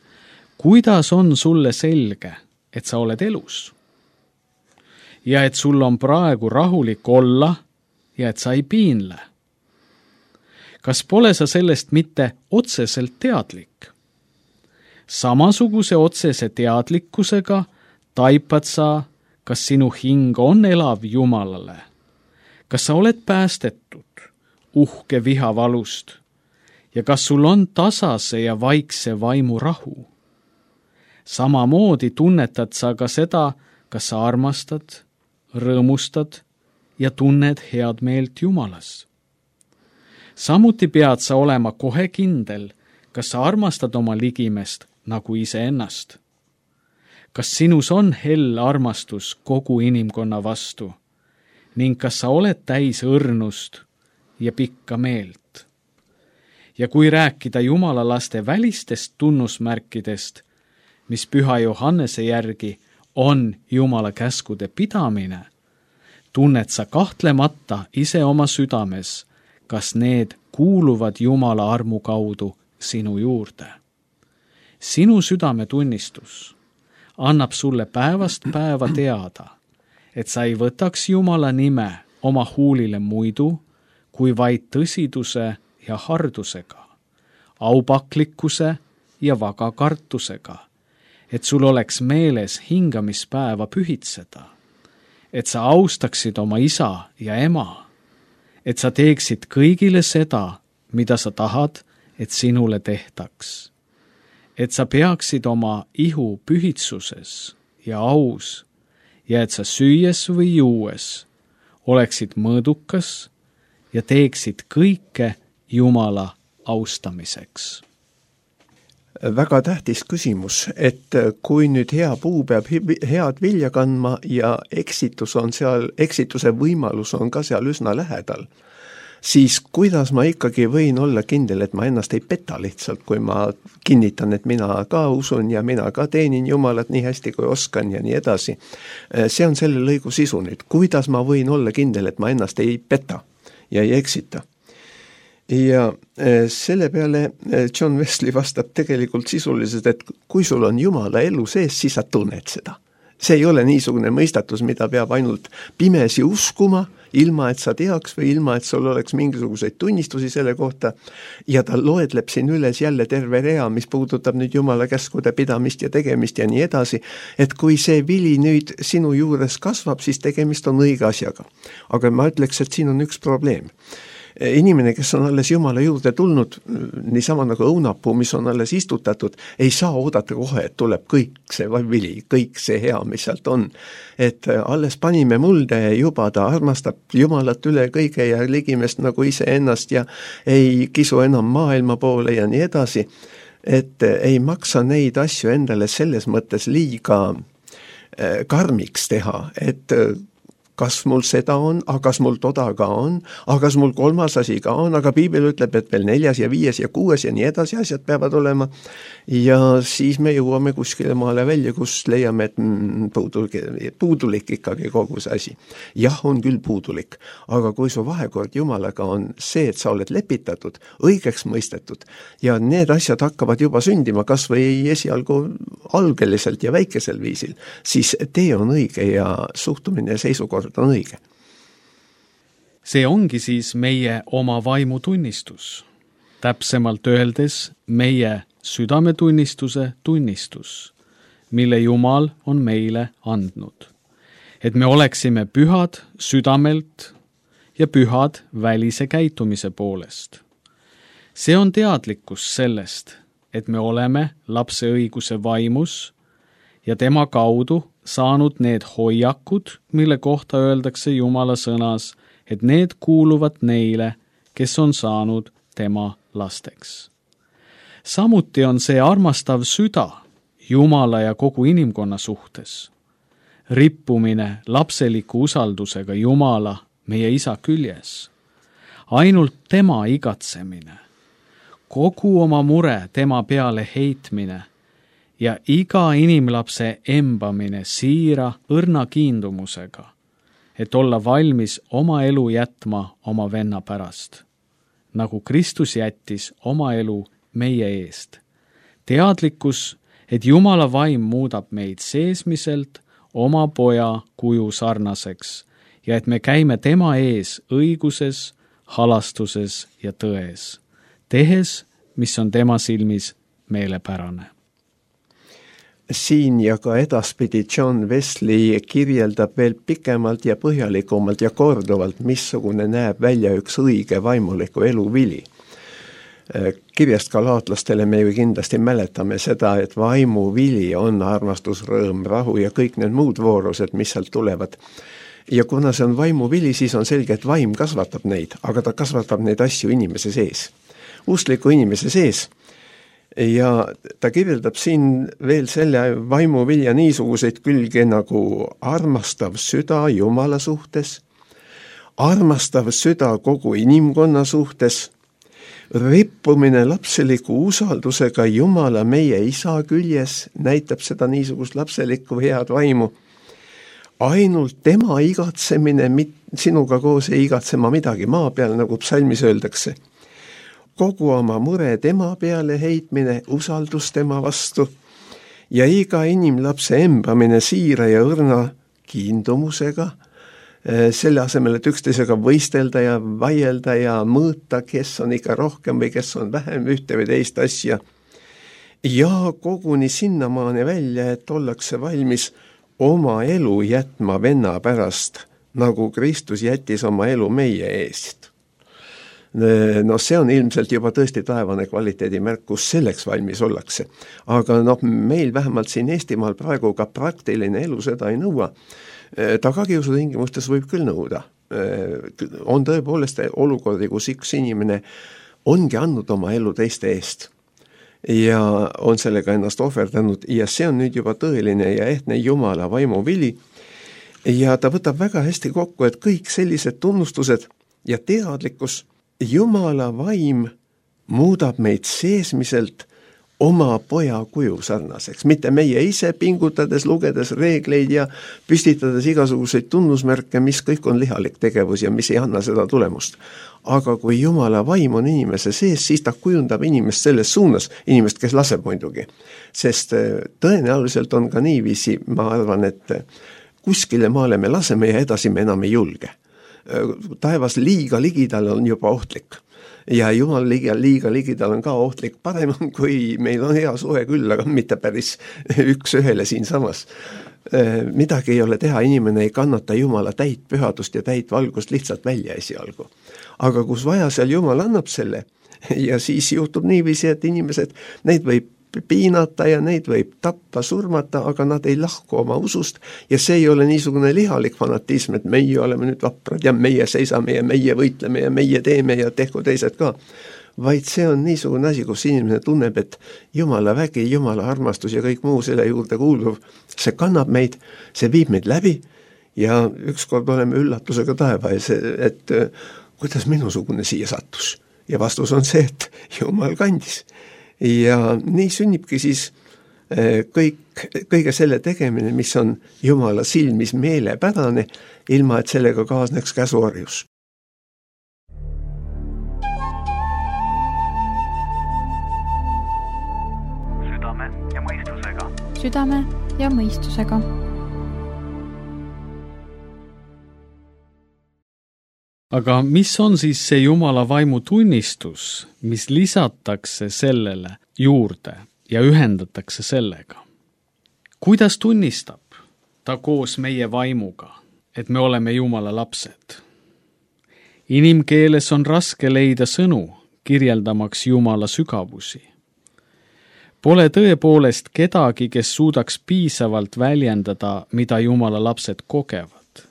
kuidas on sulle selge, et sa oled elus? Ja et sul on praegu rahulik olla ja et sa ei piinle? Kas pole sa sellest mitte otseselt teadlik? Samasuguse otsese teadlikkusega taipad sa, kas sinu hing on elav Jumalale? Kas sa oled päästetud uhke vihavalust? Ja kas sul on tasase ja vaikse vaimu rahu? Samamoodi tunnetad sa ka seda, kas sa armastad, rõõmustad ja tunned head meelt Jumalas. Samuti pead sa olema kohe kindel, kas sa armastad oma ligimest nagu iseennast. Kas sinus on hell armastus kogu inimkonna vastu ning kas sa oled täis õrnust ja pikka meelt? Ja kui rääkida Jumala laste välistest tunnusmärkidest, mis Püha Johannese järgi on Jumala käskude pidamine, tunned sa kahtlemata ise oma südames, kas need kuuluvad Jumala armu kaudu sinu juurde. Sinu südametunnistus annab sulle päevast päeva teada, et sa ei võtaks Jumala nime oma huulile muidu, kui vaid tõsiduse ja hardusega, aupaklikkuse ja vaga kartusega, et sul oleks meeles hingamispäeva pühitseda, et sa austaksid oma isa ja ema, et sa teeksid kõigile seda, mida sa tahad, et sinule tehtaks. Et sa peaksid oma ihu pühitsuses ja aus ja et sa süües või juues oleksid mõõdukas ja teeksid kõike Jumala austamiseks. Väga tähtis küsimus, et kui nüüd hea puu peab head vilja kandma ja eksitus on seal, eksituse võimalus on ka seal üsna lähedal, siis kuidas ma ikkagi võin olla kindel, et ma ennast ei peta lihtsalt, kui ma kinnitan, et mina ka usun ja mina ka teenin Jumalat nii hästi, kui oskan ja nii edasi. See on selle lõigu sisu nüüd. Kuidas ma võin olla kindel, et ma ennast ei peta ja ei eksita? Ja selle peale John Wesley vastab tegelikult sisuliselt, et kui sul on Jumala elu sees, siis sa tunned seda. See ei ole niisugune mõistatus, mida peab ainult pimesi uskuma, ilma et sa teaks või ilma et sul oleks mingisuguseid tunnistusi selle kohta. Ja ta loedleb siin üles jälle terve rea, mis puudutab nüüd Jumala käskude pidamist ja tegemist ja nii edasi, et kui see vili nüüd sinu juures kasvab, siis tegemist on õige asjaga. Aga ma ütleks, et siin on üks probleem. Inimene, kes on alles Jumala juurde tulnud, niisama nagu õunapuu, mis on alles istutatud, ei saa oodata kohe, et tuleb kõik see vili, kõik see hea, mis sealt on. Et alles panime mulde juba, ta armastab Jumalat üle kõige ja ligimest nagu ise ennast ja ei kisu enam maailma poole ja nii edasi. Et ei maksa neid asju endale selles mõttes liiga karmiks teha, et kas mul seda on, aga kas mul toda ka on, aga kas mul kolmas asi ka on, aga piibel ütleb, et veel neljas ja viies ja kuues ja nii edasi asjad peavad olema. Ja siis me jõuame kuskile maale välja, kus leiame, et mm, puudulik, puudulik ikkagi kogu see asi. Jah, on küll puudulik, aga kui su vahekord Jumalaga on see, et sa oled lepitatud, õigeks mõistetud ja need asjad hakkavad juba sündima, kas või esialgu algeliselt ja väikesel viisil, siis tee on õige ja suhtumine ja seisukord on õige. See ongi siis meie oma vaimutunnistus. Täpsemalt öeldes meie südametunnistuse tunnistus, mille Jumal on meile andnud. Et me oleksime pühad südamelt ja pühad välise käitumise poolest. See on teadlikkus sellest, et me oleme lapse õiguse vaimus ja tema kaudu saanud need hoiakud, mille kohta öeldakse Jumala sõnas, et need kuuluvad neile, kes on saanud tema lasteks. Samuti on see armastav süda Jumala ja kogu inimkonna suhtes. Rippumine lapseliku usaldusega Jumala, meie isa küljes. Ainult tema igatsemine. Kogu oma mure tema peale heitmine ja iga inimlapse embamine siira õrna kiindumusega, et olla valmis oma elu jätma oma venna pärast, nagu Kristus jättis oma elu meie eest. Teadlikkus, et Jumala vaim muudab meid seesmiselt oma poja kuju sarnaseks ja et me käime tema ees õiguses, halastuses ja tões, tehes, mis on tema silmis meelepärane. Siin ja ka edaspidi John Wesley kirjeldab veel pikemalt ja põhjalikumalt ja korduvalt, missugune näeb välja üks õige vaimuliku elu vili. Kirjast galaatlastele me ju kindlasti mäletame seda, et vaimu vili on armastus, rõõm, rahu ja kõik need muud voorused, mis sealt tulevad. Ja kuna see on vaimu vili, siis on selge, et vaim kasvatab neid, aga ta kasvatab neid asju inimese sees. Uskliku inimese sees. Ja ta kirjeldab siin veel selle vaimuvilja niisuguseid külge nagu armastav süda Jumala suhtes, armastav süda kogu inimkonna suhtes, rippumine lapseliku usaldusega Jumala meie isa küljes näitab seda niisugust lapselikku head vaimu, ainult tema igatsemine, sinuga koos ei igatsema midagi maa peal, nagu psalmis öeldakse. Kogu oma mure tema peale heitmine, usaldus tema vastu ja iga inimlapse embamine siira ja õrna kiindumusega, selle asemel, et üksteisega võistelda ja vaielda ja mõõta, kes on ikka rohkem või kes on vähem ühte või teist asja. Ja koguni sinnamaani välja, et ollakse valmis oma elu jätma venna pärast, nagu Kristus jättis oma elu meie eest. No see on ilmselt juba tõesti taevane kvaliteedimärk, kus selleks valmis ollakse. Aga no, meil vähemalt siin Eestimaal praegu ka praktiline elu seda ei nõua. Tagakiusu tingimustes võib küll nõuda. On tõepoolest olukordi, kus üks inimene ongi andnud oma elu teiste eest ja on sellega ennast ohverdanud ja see on nüüd juba tõeline ja ehtne Jumala vaimu vili ja ta võtab väga hästi kokku, et kõik sellised tunnustused ja teadlikkus Jumala vaim muudab meid seesmiselt oma poja kuju sarnaseks, mitte meie ise pingutades, lugedes reegleid ja püstitades igasuguseid tunnusmärke, mis kõik on lihalik tegevus ja mis ei anna seda tulemust. Aga kui Jumala vaim on inimese sees, siis ta kujundab inimest selles suunas, inimest, kes laseb muidugi. Sest tõenäoliselt on ka niiviisi, ma arvan, et kuskile maale me laseme ja edasi me enam ei julge. Taevas liiga ligidal on juba ohtlik ja Jumal liiga, liiga ligidal on ka ohtlik. Parem on, kui meil on hea suhe küll, aga mitte päris üks ühele siin samas. Midagi ei ole teha, inimene ei kannata Jumala täit pühadust ja täit valgust lihtsalt välja esialgu. Aga kus vaja, seal Jumal annab selle ja siis juhtub niiviisi, et inimesed, neid võib piinata ja neid võib tappa, surmata, aga nad ei lahku oma usust ja see ei ole niisugune lihalik fanatism, et meie oleme nüüd vaprad ja meie seisame ja meie võitleme ja meie teeme ja tehku teised ka. Vaid see on niisugune asi, kus inimene tunneb, et Jumala vägi, Jumala armastus ja kõik muu selle juurde kuuluv, see kannab meid, see viib meid läbi ja ükskord oleme üllatusega taeva ees, et kuidas minusugune siia sattus. Ja vastus on see, et Jumal kandis. Ja nii sünnibki siis kõik, kõige selle tegemine, mis on Jumala silmis meelepärane, ilma et sellega kaasneks käsuorjus. Südame ja mõistusega. Südame ja mõistusega. Aga mis on siis see Jumala vaimu tunnistus, mis lisatakse sellele juurde ja ühendatakse sellega? Kuidas tunnistab ta koos meie vaimuga, et me oleme Jumala lapsed? Inimkeeles on raske leida sõnu, kirjeldamaks Jumala sügavusi. Pole tõepoolest kedagi, kes suudaks piisavalt väljendada, mida Jumala lapsed kogevad.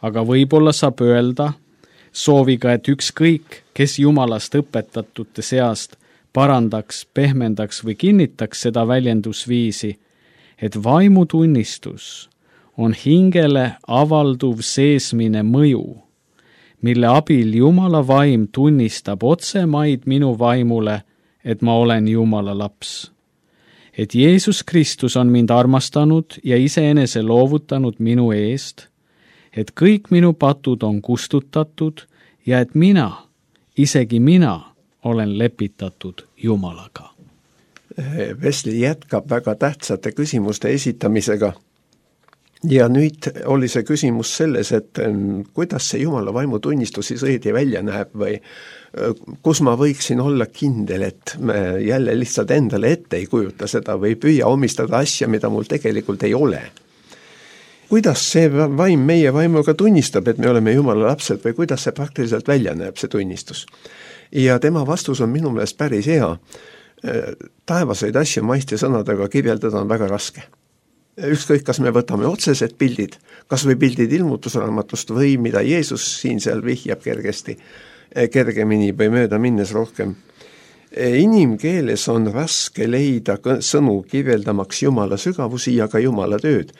Aga võib-olla saab öelda, sooviga, et ükskõik, kes Jumalast õpetatute seast parandaks, pehmendaks või kinnitaks seda väljendusviisi, et vaimutunnistus on hingele avalduv seesmine mõju, mille abil Jumala vaim tunnistab otsemaid minu vaimule, et ma olen Jumala laps. Et Jeesus Kristus on mind armastanud ja iseenese loovutanud minu eest, et kõik minu patud on kustutatud ja et mina, isegi mina, olen lepitatud Jumalaga. Wesley jätkab väga tähtsate küsimuste esitamisega. Ja nüüd oli see küsimus selles, et kuidas see Jumala vaimu tunnistus siis õige välja näeb või kus ma võiksin olla kindel, et me jälle lihtsalt endale ette ei kujuta seda või püüa omistada asja, mida mul tegelikult ei ole. Kuidas see vaim meie vaimuga tunnistab, et me oleme Jumala lapsed või kuidas see praktiliselt välja näeb, see tunnistus? Ja tema vastus on minu meelest päris hea. Taevaseid asju maisti sõnadega kirjeldada on väga raske. Ükskõik, kas me võtame otsesed pildid, kas või pildid ilmutusraamatust või mida Jeesus siin seal vihjab kergesti, kergemini või mööda minnes rohkem. Inimkeeles on raske leida sõnu kirjeldamaks Jumala sügavusi ja ka Jumala tööd.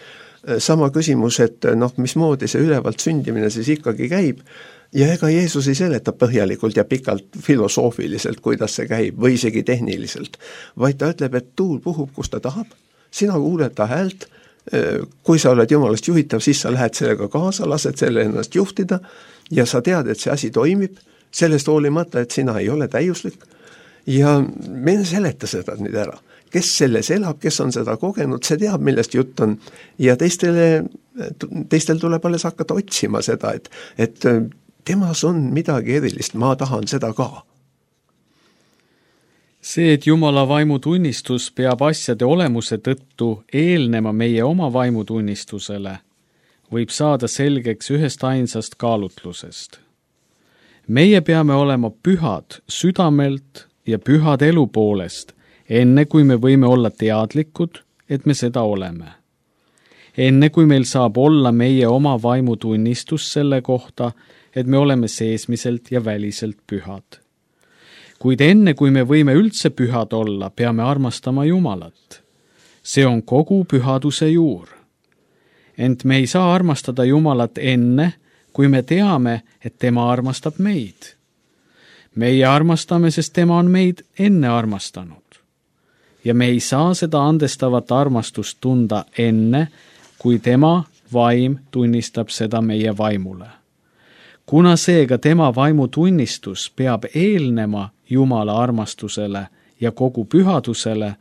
Sama küsimus, et noh, mismoodi see ülevalt sündimine siis ikkagi käib ja ega Jeesus ei seleta põhjalikult ja pikalt filosoofiliselt, kuidas see käib või isegi tehniliselt, vaid ta ütleb, et tuul puhub, kus ta tahab, sina kuuled ta häält, kui sa oled Jumalast juhitav, siis sa lähed sellega kaasa, lased selle ennast juhtida ja sa tead, et see asi toimib, sellest hoolimata, et sina ei ole täiuslik ja me ei seleta seda nüüd ära. Kes selles elab, kes on seda kogenud, see teab, millest jutt on ja teistele, teistel tuleb alles hakata otsima seda, et, et temas on midagi erilist, ma tahan seda ka. See, et Jumala vaimutunnistus peab asjade olemuse tõttu eelnema meie oma vaimutunnistusele, võib saada selgeks ühest ainsast kaalutlusest. Meie peame olema pühad südamelt ja pühad elu poolest, enne kui me võime olla teadlikud, et me seda oleme. Enne kui meil saab olla meie oma vaimutunnistus selle kohta, et me oleme seesmiselt ja väliselt pühad. Kuid enne kui me võime üldse pühad olla, peame armastama Jumalat. See on kogu pühaduse juur. Ent me ei saa armastada Jumalat enne, kui me teame, et tema armastab meid. Meie armastame, sest tema on meid enne armastanud. Ja me ei saa seda andestavat armastust tunda enne, kui tema vaim tunnistab seda meie vaimule. Kuna seega tema vaimu tunnistus peab eelnema Jumala armastusele ja kogu pühadusele,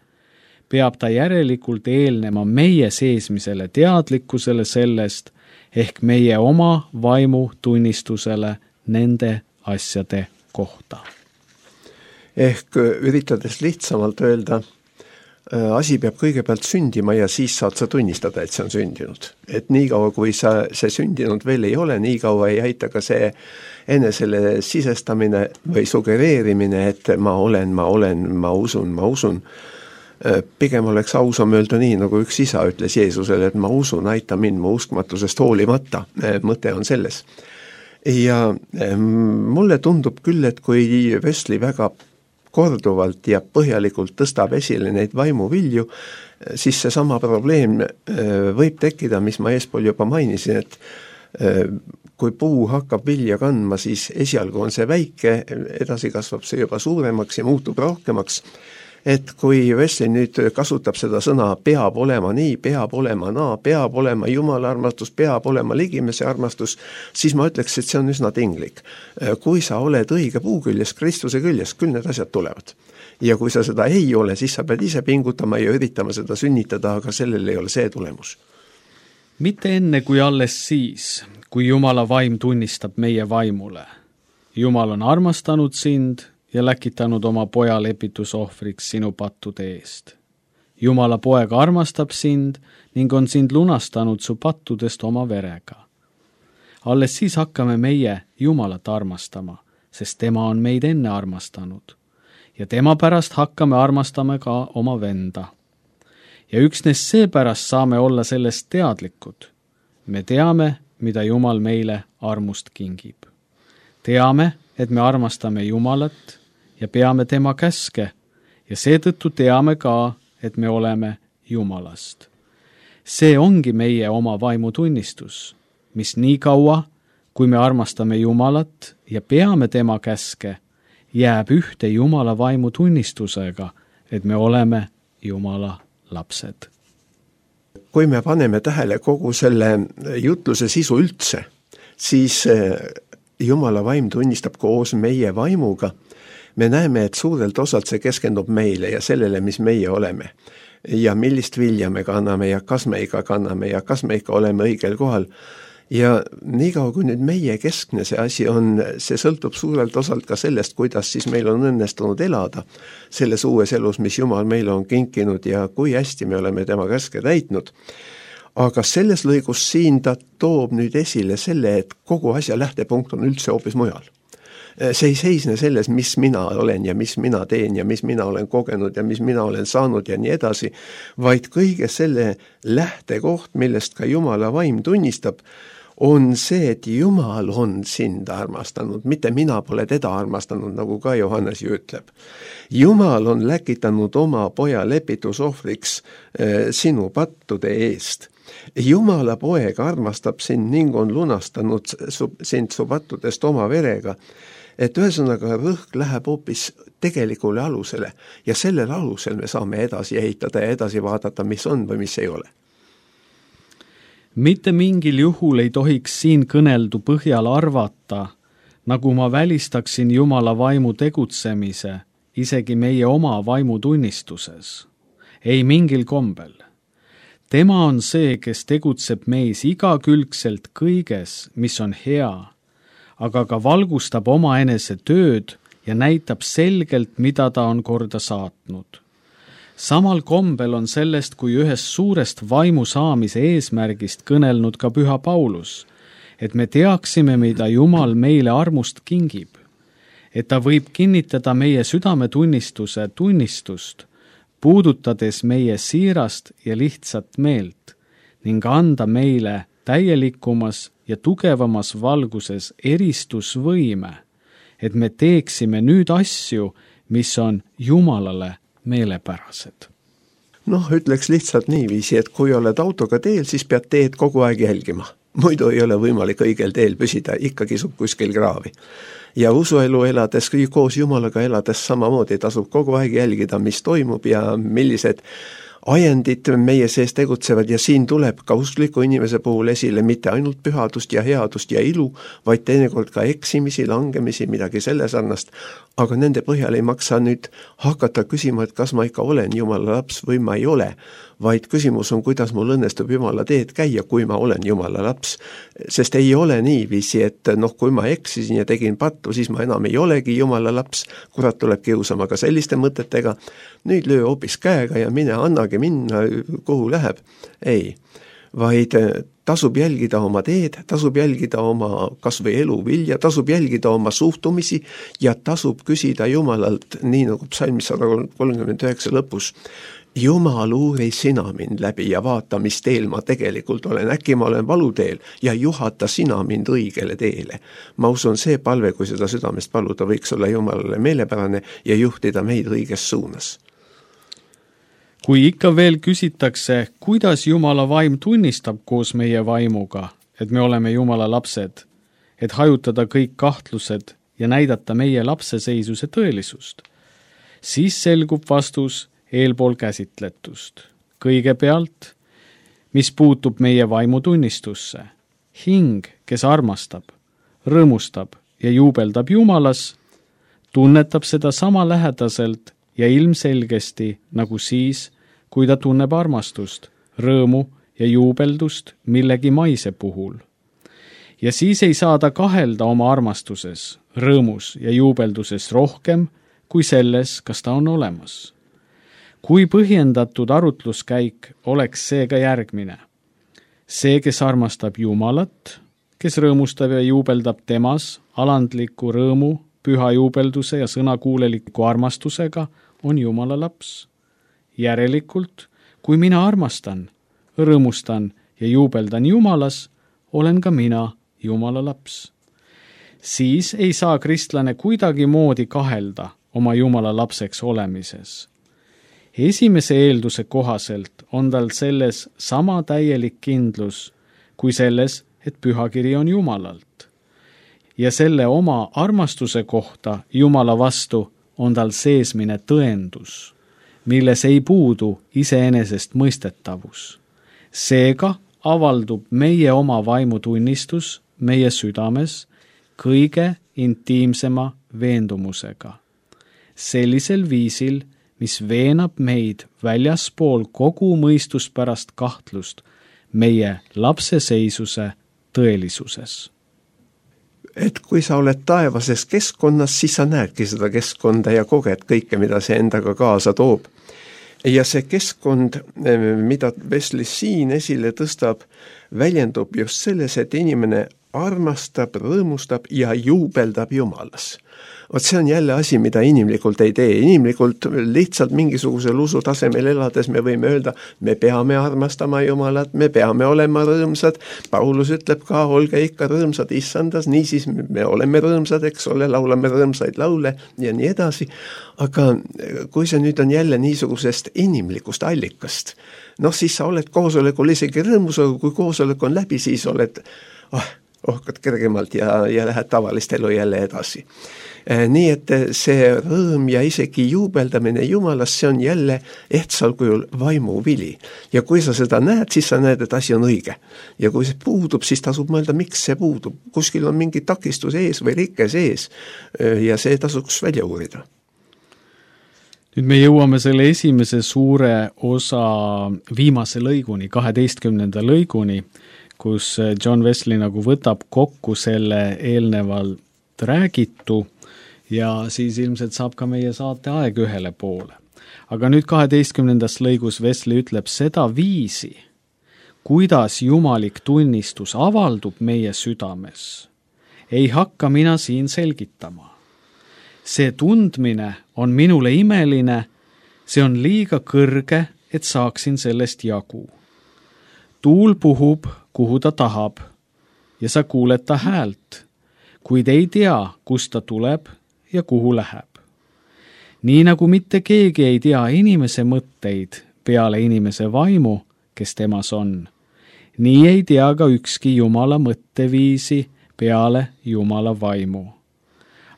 peab ta järelikult eelnema meie seesmisele teadlikkusele sellest, ehk meie oma vaimu tunnistusele nende asjade kohta. Ehk üritades lihtsamalt öelda, asi peab kõigepealt sündima ja siis saad sa tunnistada, et see on sündinud. Et nii kaua, kui sa, see sündinud veel ei ole, nii kaua ei aita ka see enesele sisestamine või sugereerimine, et ma olen, ma olen, ma usun, ma usun. Pigem oleks ausam öelda nii, nagu üks isa ütles Jeesusele, et ma usun, aita mind mu uskmatusest hoolimata. Mõte on selles. Ja mulle tundub küll, et kui Wesley väga korduvalt ja põhjalikult tõstab esile neid vaimuvilju, siis see sama probleem võib tekkida, mis ma eespool juba mainisin, et kui puu hakkab vilja kandma, siis esialgu on see väike, edasi kasvab see juba suuremaks ja muutub rohkemaks. Et kui Wesley nüüd kasutab seda sõna peab olema nii, peab olema naa, peab olema Jumala armastus, peab olema ligimese armastus, siis ma ütleks, et see on üsna tinglik. Kui sa oled õige puu küljes, Kristuse küljes, küll need asjad tulevad. Ja kui sa seda ei ole, siis sa pead ise pingutama ja üritama seda sünnitada, aga sellel ei ole see tulemus. Mitte enne kui alles siis, kui Jumala vaim tunnistab meie vaimule. Jumal on armastanud sind ja läkitanud oma poja lepitusohvriks sinu pattude eest. Jumala poeg armastab sind ning on sind lunastanud su pattudest oma verega. Alles siis hakkame meie Jumalat armastama, sest tema on meid enne armastanud. Ja tema pärast hakkame armastama ka oma venda. Ja üksnes seepärast saame olla sellest teadlikud. Me teame, mida Jumal meile armust kingib. Teame, et me armastame Jumalat ja peame tema käske ja seetõttu teame ka, et me oleme Jumalast. See ongi meie oma vaimutunnistus, mis nii kaua, kui me armastame Jumalat ja peame tema käske, jääb ühte Jumala vaimutunnistusega, et me oleme Jumala lapsed. Kui me paneme tähele kogu selle jutluse sisu üldse, siis Jumala vaim tunnistab koos meie vaimuga. Me näeme, et suurelt osalt see keskendub meile ja sellele, mis meie oleme. Ja millist vilja me kanname ja kas me ikka kanname ja kas me ikka oleme õigel kohal. Ja niikaua kui nüüd meie keskne see asi on, see sõltub suurelt osalt ka sellest, kuidas siis meil on õnnestunud elada selles uues elus, mis Jumal meile on kinkinud ja kui hästi me oleme tema käske täitnud. Aga selles lõigus siin ta toob nüüd esile selle, et kogu asja lähtepunkt on üldse hoopis mujal. See ei seisne selles, mis mina olen ja mis mina teen ja mis mina olen kogenud ja mis mina olen saanud ja nii edasi, vaid kõige selle lähtekoht, millest ka Jumala vaim tunnistab, on see, et Jumal on sind armastanud, mitte mina pole teda armastanud, nagu ka Johannes ju ütleb. Jumal on läkitanud oma poja lepitusohvriks eh, sinu pattude eest. Jumala poeg armastab sind ning on lunastanud su, sind su pattudest oma verega, et ühesõnaga rõhk läheb hoopis tegelikule alusele ja sellel alusel me saame edasi ehitada ja edasi vaadata, mis on või mis ei ole. Mitte mingil juhul ei tohiks siin kõneldu põhjal arvata, nagu ma välistaksin Jumala vaimu tegutsemise, isegi meie oma vaimutunnistuses. Ei mingil kombel. Tema on see, kes tegutseb meis igakülgselt kõiges, mis on hea, aga ka valgustab oma enese tööd ja näitab selgelt, mida ta on korda saatnud. Samal kombel on sellest kui ühest suurest vaimu saamise eesmärgist kõnelnud ka Püha Paulus, et me teaksime, mida Jumal meile armust kingib, et ta võib kinnitada meie südametunnistuse tunnistust, puudutades meie siirast ja lihtsat meelt ning anda meile täielikumas ja tugevamas valguses eristusvõime, et me teeksime nüüd asju, mis on Jumalale meelepärased. Noh, ütleks lihtsalt niiviisi, et kui oled autoga teel, siis pead teed kogu aeg jälgima. Muidu ei ole võimalik õigel teel püsida, ikka kisub kuskil kraavi. Ja usuelu elades, koos Jumalaga elades samamoodi tasub kogu aeg jälgida, mis toimub ja millised ajendid meie sees tegutsevad ja siin tuleb ka uskliku inimese puhul esile mitte ainult pühadust ja headust ja ilu, vaid teinekord ka eksimisi, langemisi, midagi selle sarnast, aga nende põhjal ei maksa nüüd hakata küsima, et kas ma ikka olen Jumala laps või ma ei ole, vaid küsimus on, kuidas mul õnnestub Jumala teed käia, kui ma olen Jumala laps. Sest ei ole niiviisi, et noh, kui ma eksisin ja tegin pattu, siis ma enam ei olegi Jumala laps, kurat tuleb kiusama ka selliste mõtetega, nüüd löö hoopis käega ja mine annagi minna, kuhu läheb. Ei, vaid tasub jälgida oma teed, tasub jälgida oma kas või elu vilja, tasub jälgida oma suhtumisi ja tasub küsida Jumalalt, nii nagu psalmis sada kolmkümmend üheksa lõpus, Jumal, uuri sina mind läbi ja vaata, mis teel ma tegelikult olen. Äkki ma olen valuteel ja juhata sina mind õigele teele. Ma usun, see palve, kui seda südamest paluda, võiks olla Jumalale meelepärane ja juhtida meid õiges suunas. Kui ikka veel küsitakse, kuidas Jumala vaim tunnistab koos meie vaimuga, et me oleme Jumala lapsed, et hajutada kõik kahtlused ja näidata meie lapseseisuse tõelisust, siis selgub vastus eelpool käsitletust. Kõigepealt, mis puutub meie vaimutunnistusse. Hing, kes armastab, rõõmustab ja juubeldab Jumalas, tunnetab seda sama lähedaselt ja ilmselgesti nagu siis, kui ta tunneb armastust, rõõmu ja juubeldust millegi maise puhul. Ja siis ei saa ta kahelda oma armastuses, rõõmus ja juubelduses rohkem kui selles, kas ta on olemas. Kui põhjendatud arutluskäik oleks seega järgmine. See, kes armastab Jumalat, kes rõõmustab ja juubeldab temas alandliku rõõmu, püha juubelduse ja sõnakuuleliku armastusega, on Jumala laps. Järelikult, kui mina armastan, rõõmustan ja juubeldan Jumalas, olen ka mina Jumala laps. Siis ei saa kristlane kuidagi moodi kahelda oma Jumala lapseks olemises. Esimese eelduse kohaselt on tal selles sama täielik kindlus kui selles, et pühakiri on Jumalalt. Ja selle oma armastuse kohta Jumala vastu on tal seesmine tõendus, milles ei puudu iseenesest mõistetavus. Seega avaldub meie oma vaimutunnistus meie südames kõige intiimsema veendumusega. Sellisel viisil, mis veenab meid väljaspool kogu mõistuspärast kahtlust meie lapseseisuse tõelisuses. Et kui sa oled taevases keskkonnas, siis sa näedki seda keskkonda ja koged kõike, mida see endaga kaasa toob. Ja see keskkond, mida Wesley siin esile tõstab, väljendub just selles, et inimene armastab, rõõmustab ja juubeldab Jumalas. Vot see on jälle asi, mida inimlikult ei tee. Inimlikult lihtsalt mingisugusel usu tasemel elades me võime öelda, me peame armastama Jumalat, me peame olema rõõmsad. Paulus ütleb ka, olge ikka rõõmsad issandas, niisiis me oleme rõõmsad, eks ole, laulame rõõmsaid laule ja nii edasi. Aga kui see nüüd on jälle niisugusest inimlikust allikast, noh siis sa oled koosolekul isegi rõõmus, aga kui koosolek on läbi, siis oled oh, ohkad kergemalt ja, ja lähed tavalist elu jälle edasi. Nii et see rõõm ja isegi juubeldamine Jumalas, see on jälle ehtsal kujul vaimuvili. Ja kui sa seda näed, siis sa näed, et asi on õige. Ja kui see puudub, siis tasub mõelda, miks see puudub. Kuskil on mingi takistus ees või rike sees ja see tasuks välja uurida. Nüüd me jõuame selle esimese suure osa viimase lõiguni, kaheteistkümnenda lõiguni, kus John Wesley nagu võtab kokku selle eelnevalt räägitu ja siis ilmselt saab ka meie saate aeg ühele poole. Aga nüüd kaheteistkümnendas lõigus Wesley ütleb seda viisi, kuidas jumalik tunnistus avaldub meie südames, ei hakka mina siin selgitama. See tundmine on minule imeline, see on liiga kõrge, et saaksin sellest jagu. Tuul puhub, kuhu ta tahab, ja sa kuuled ta häält, kuid ei tea, kust ta tuleb ja kuhu läheb. Nii nagu mitte keegi ei tea inimese mõtteid peale inimese vaimu, kes temas on, nii ei tea ka ükski Jumala mõtteviisi peale Jumala vaimu.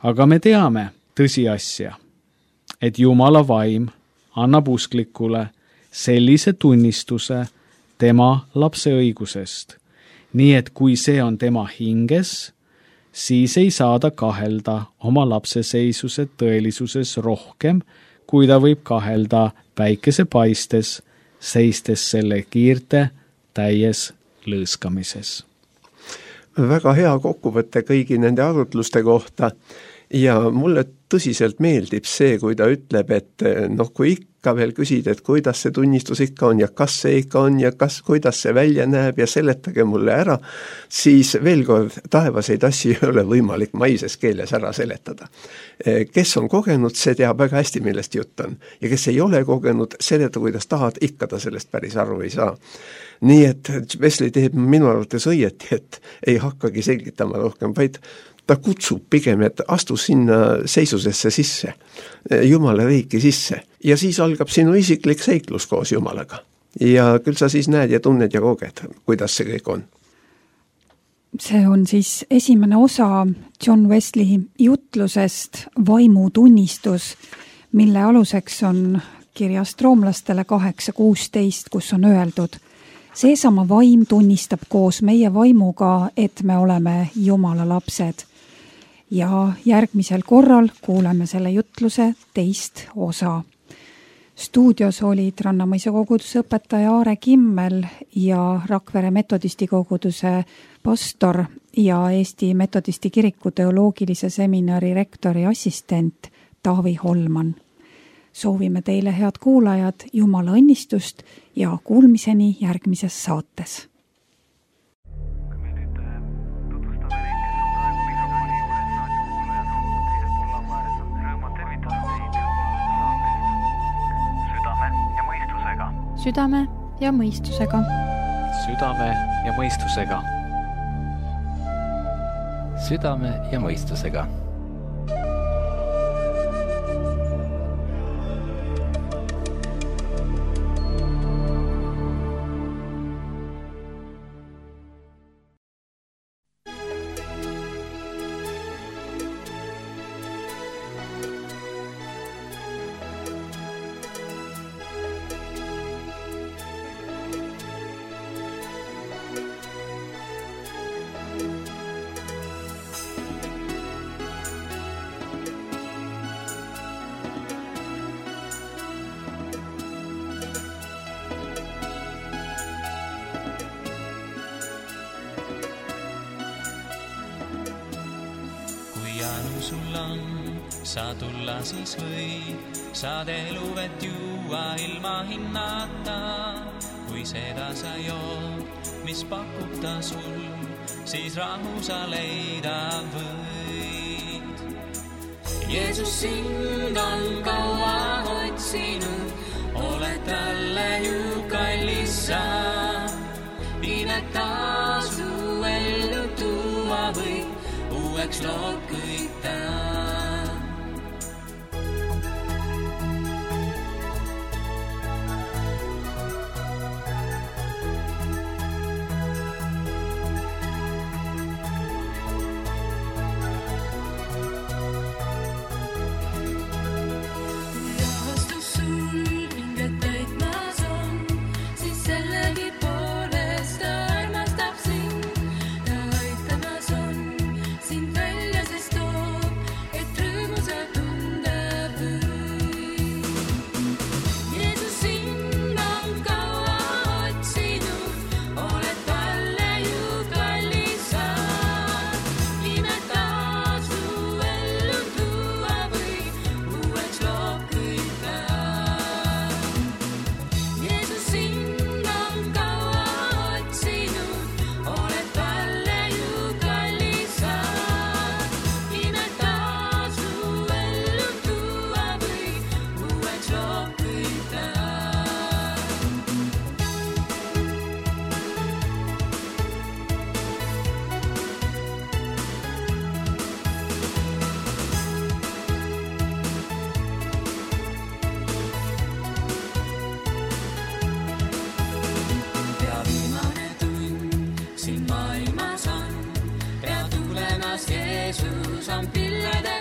Aga me teame tõsiasja, et Jumala vaim annab usklikule sellise tunnistuse tema lapse õigusest, nii et kui see on tema hinges, siis ei saa ta kahelda oma lapseseisuse tõelisuses rohkem, kui ta võib kahelda päikese paistes, seistes selle kiirte täies lõõskamises. Väga hea kokkuvõte kõigi nende arutluste kohta ja mulle tõsiselt meeldib see, kui ta ütleb, et noh, kui ikka veel küsid, et kuidas see tunnistus ikka on ja kas see ikka on ja kas, kuidas see välja näeb ja seletage mulle ära, siis veel kord, taevaseid asju ei ole võimalik maises keeles ära seletada. Kes on kogenud, see teab väga hästi, millest jutt on. Ja kes ei ole kogenud, seleta, kuidas tahad, ikka ta sellest päris aru ei saa. Nii et Wesley teeb minu arvates õieti, et ei hakkagi selgitama rohkem, vaid ta kutsub pigem, et astu sinna seisusesse sisse, Jumala riiki sisse ja siis algab sinu isiklik seiklus koos Jumalaga. Ja küll sa siis näed ja tunned ja koged, kuidas see kõik on. See on siis esimene osa John Wesley jutlusest Vaimutunnistus, mille aluseks on kirjast roomlastele kaheksa kuusteist, kus on öeldud: seesama vaim tunnistab koos meie vaimuga, et me oleme Jumala lapsed. Ja järgmisel korral kuuleme selle jutluse teist osa. Stuudios olid Rannamõisa koguduse õpetaja Aare Kimmel ja Rakvere metodisti koguduse pastor ja Eesti metodisti kiriku teoloogilise seminari rektori assistent Taavi Holman. Soovime teile, head kuulajad, Jumala õnnistust ja kuulmiseni järgmises saates. Südame ja mõistusega. Südame ja mõistusega. Südame ja mõistusega. Saa tulla siis või, saad eluvet juua ilma hinnata, kui seda sa jood, mis pakub ta sul, siis rahu sa leida võid. Jeesus sind on kaua otsinud, oled talle ju kallis sa, imet tasu ellu tuua või uueks lood kõik ta. Jeesus on pillede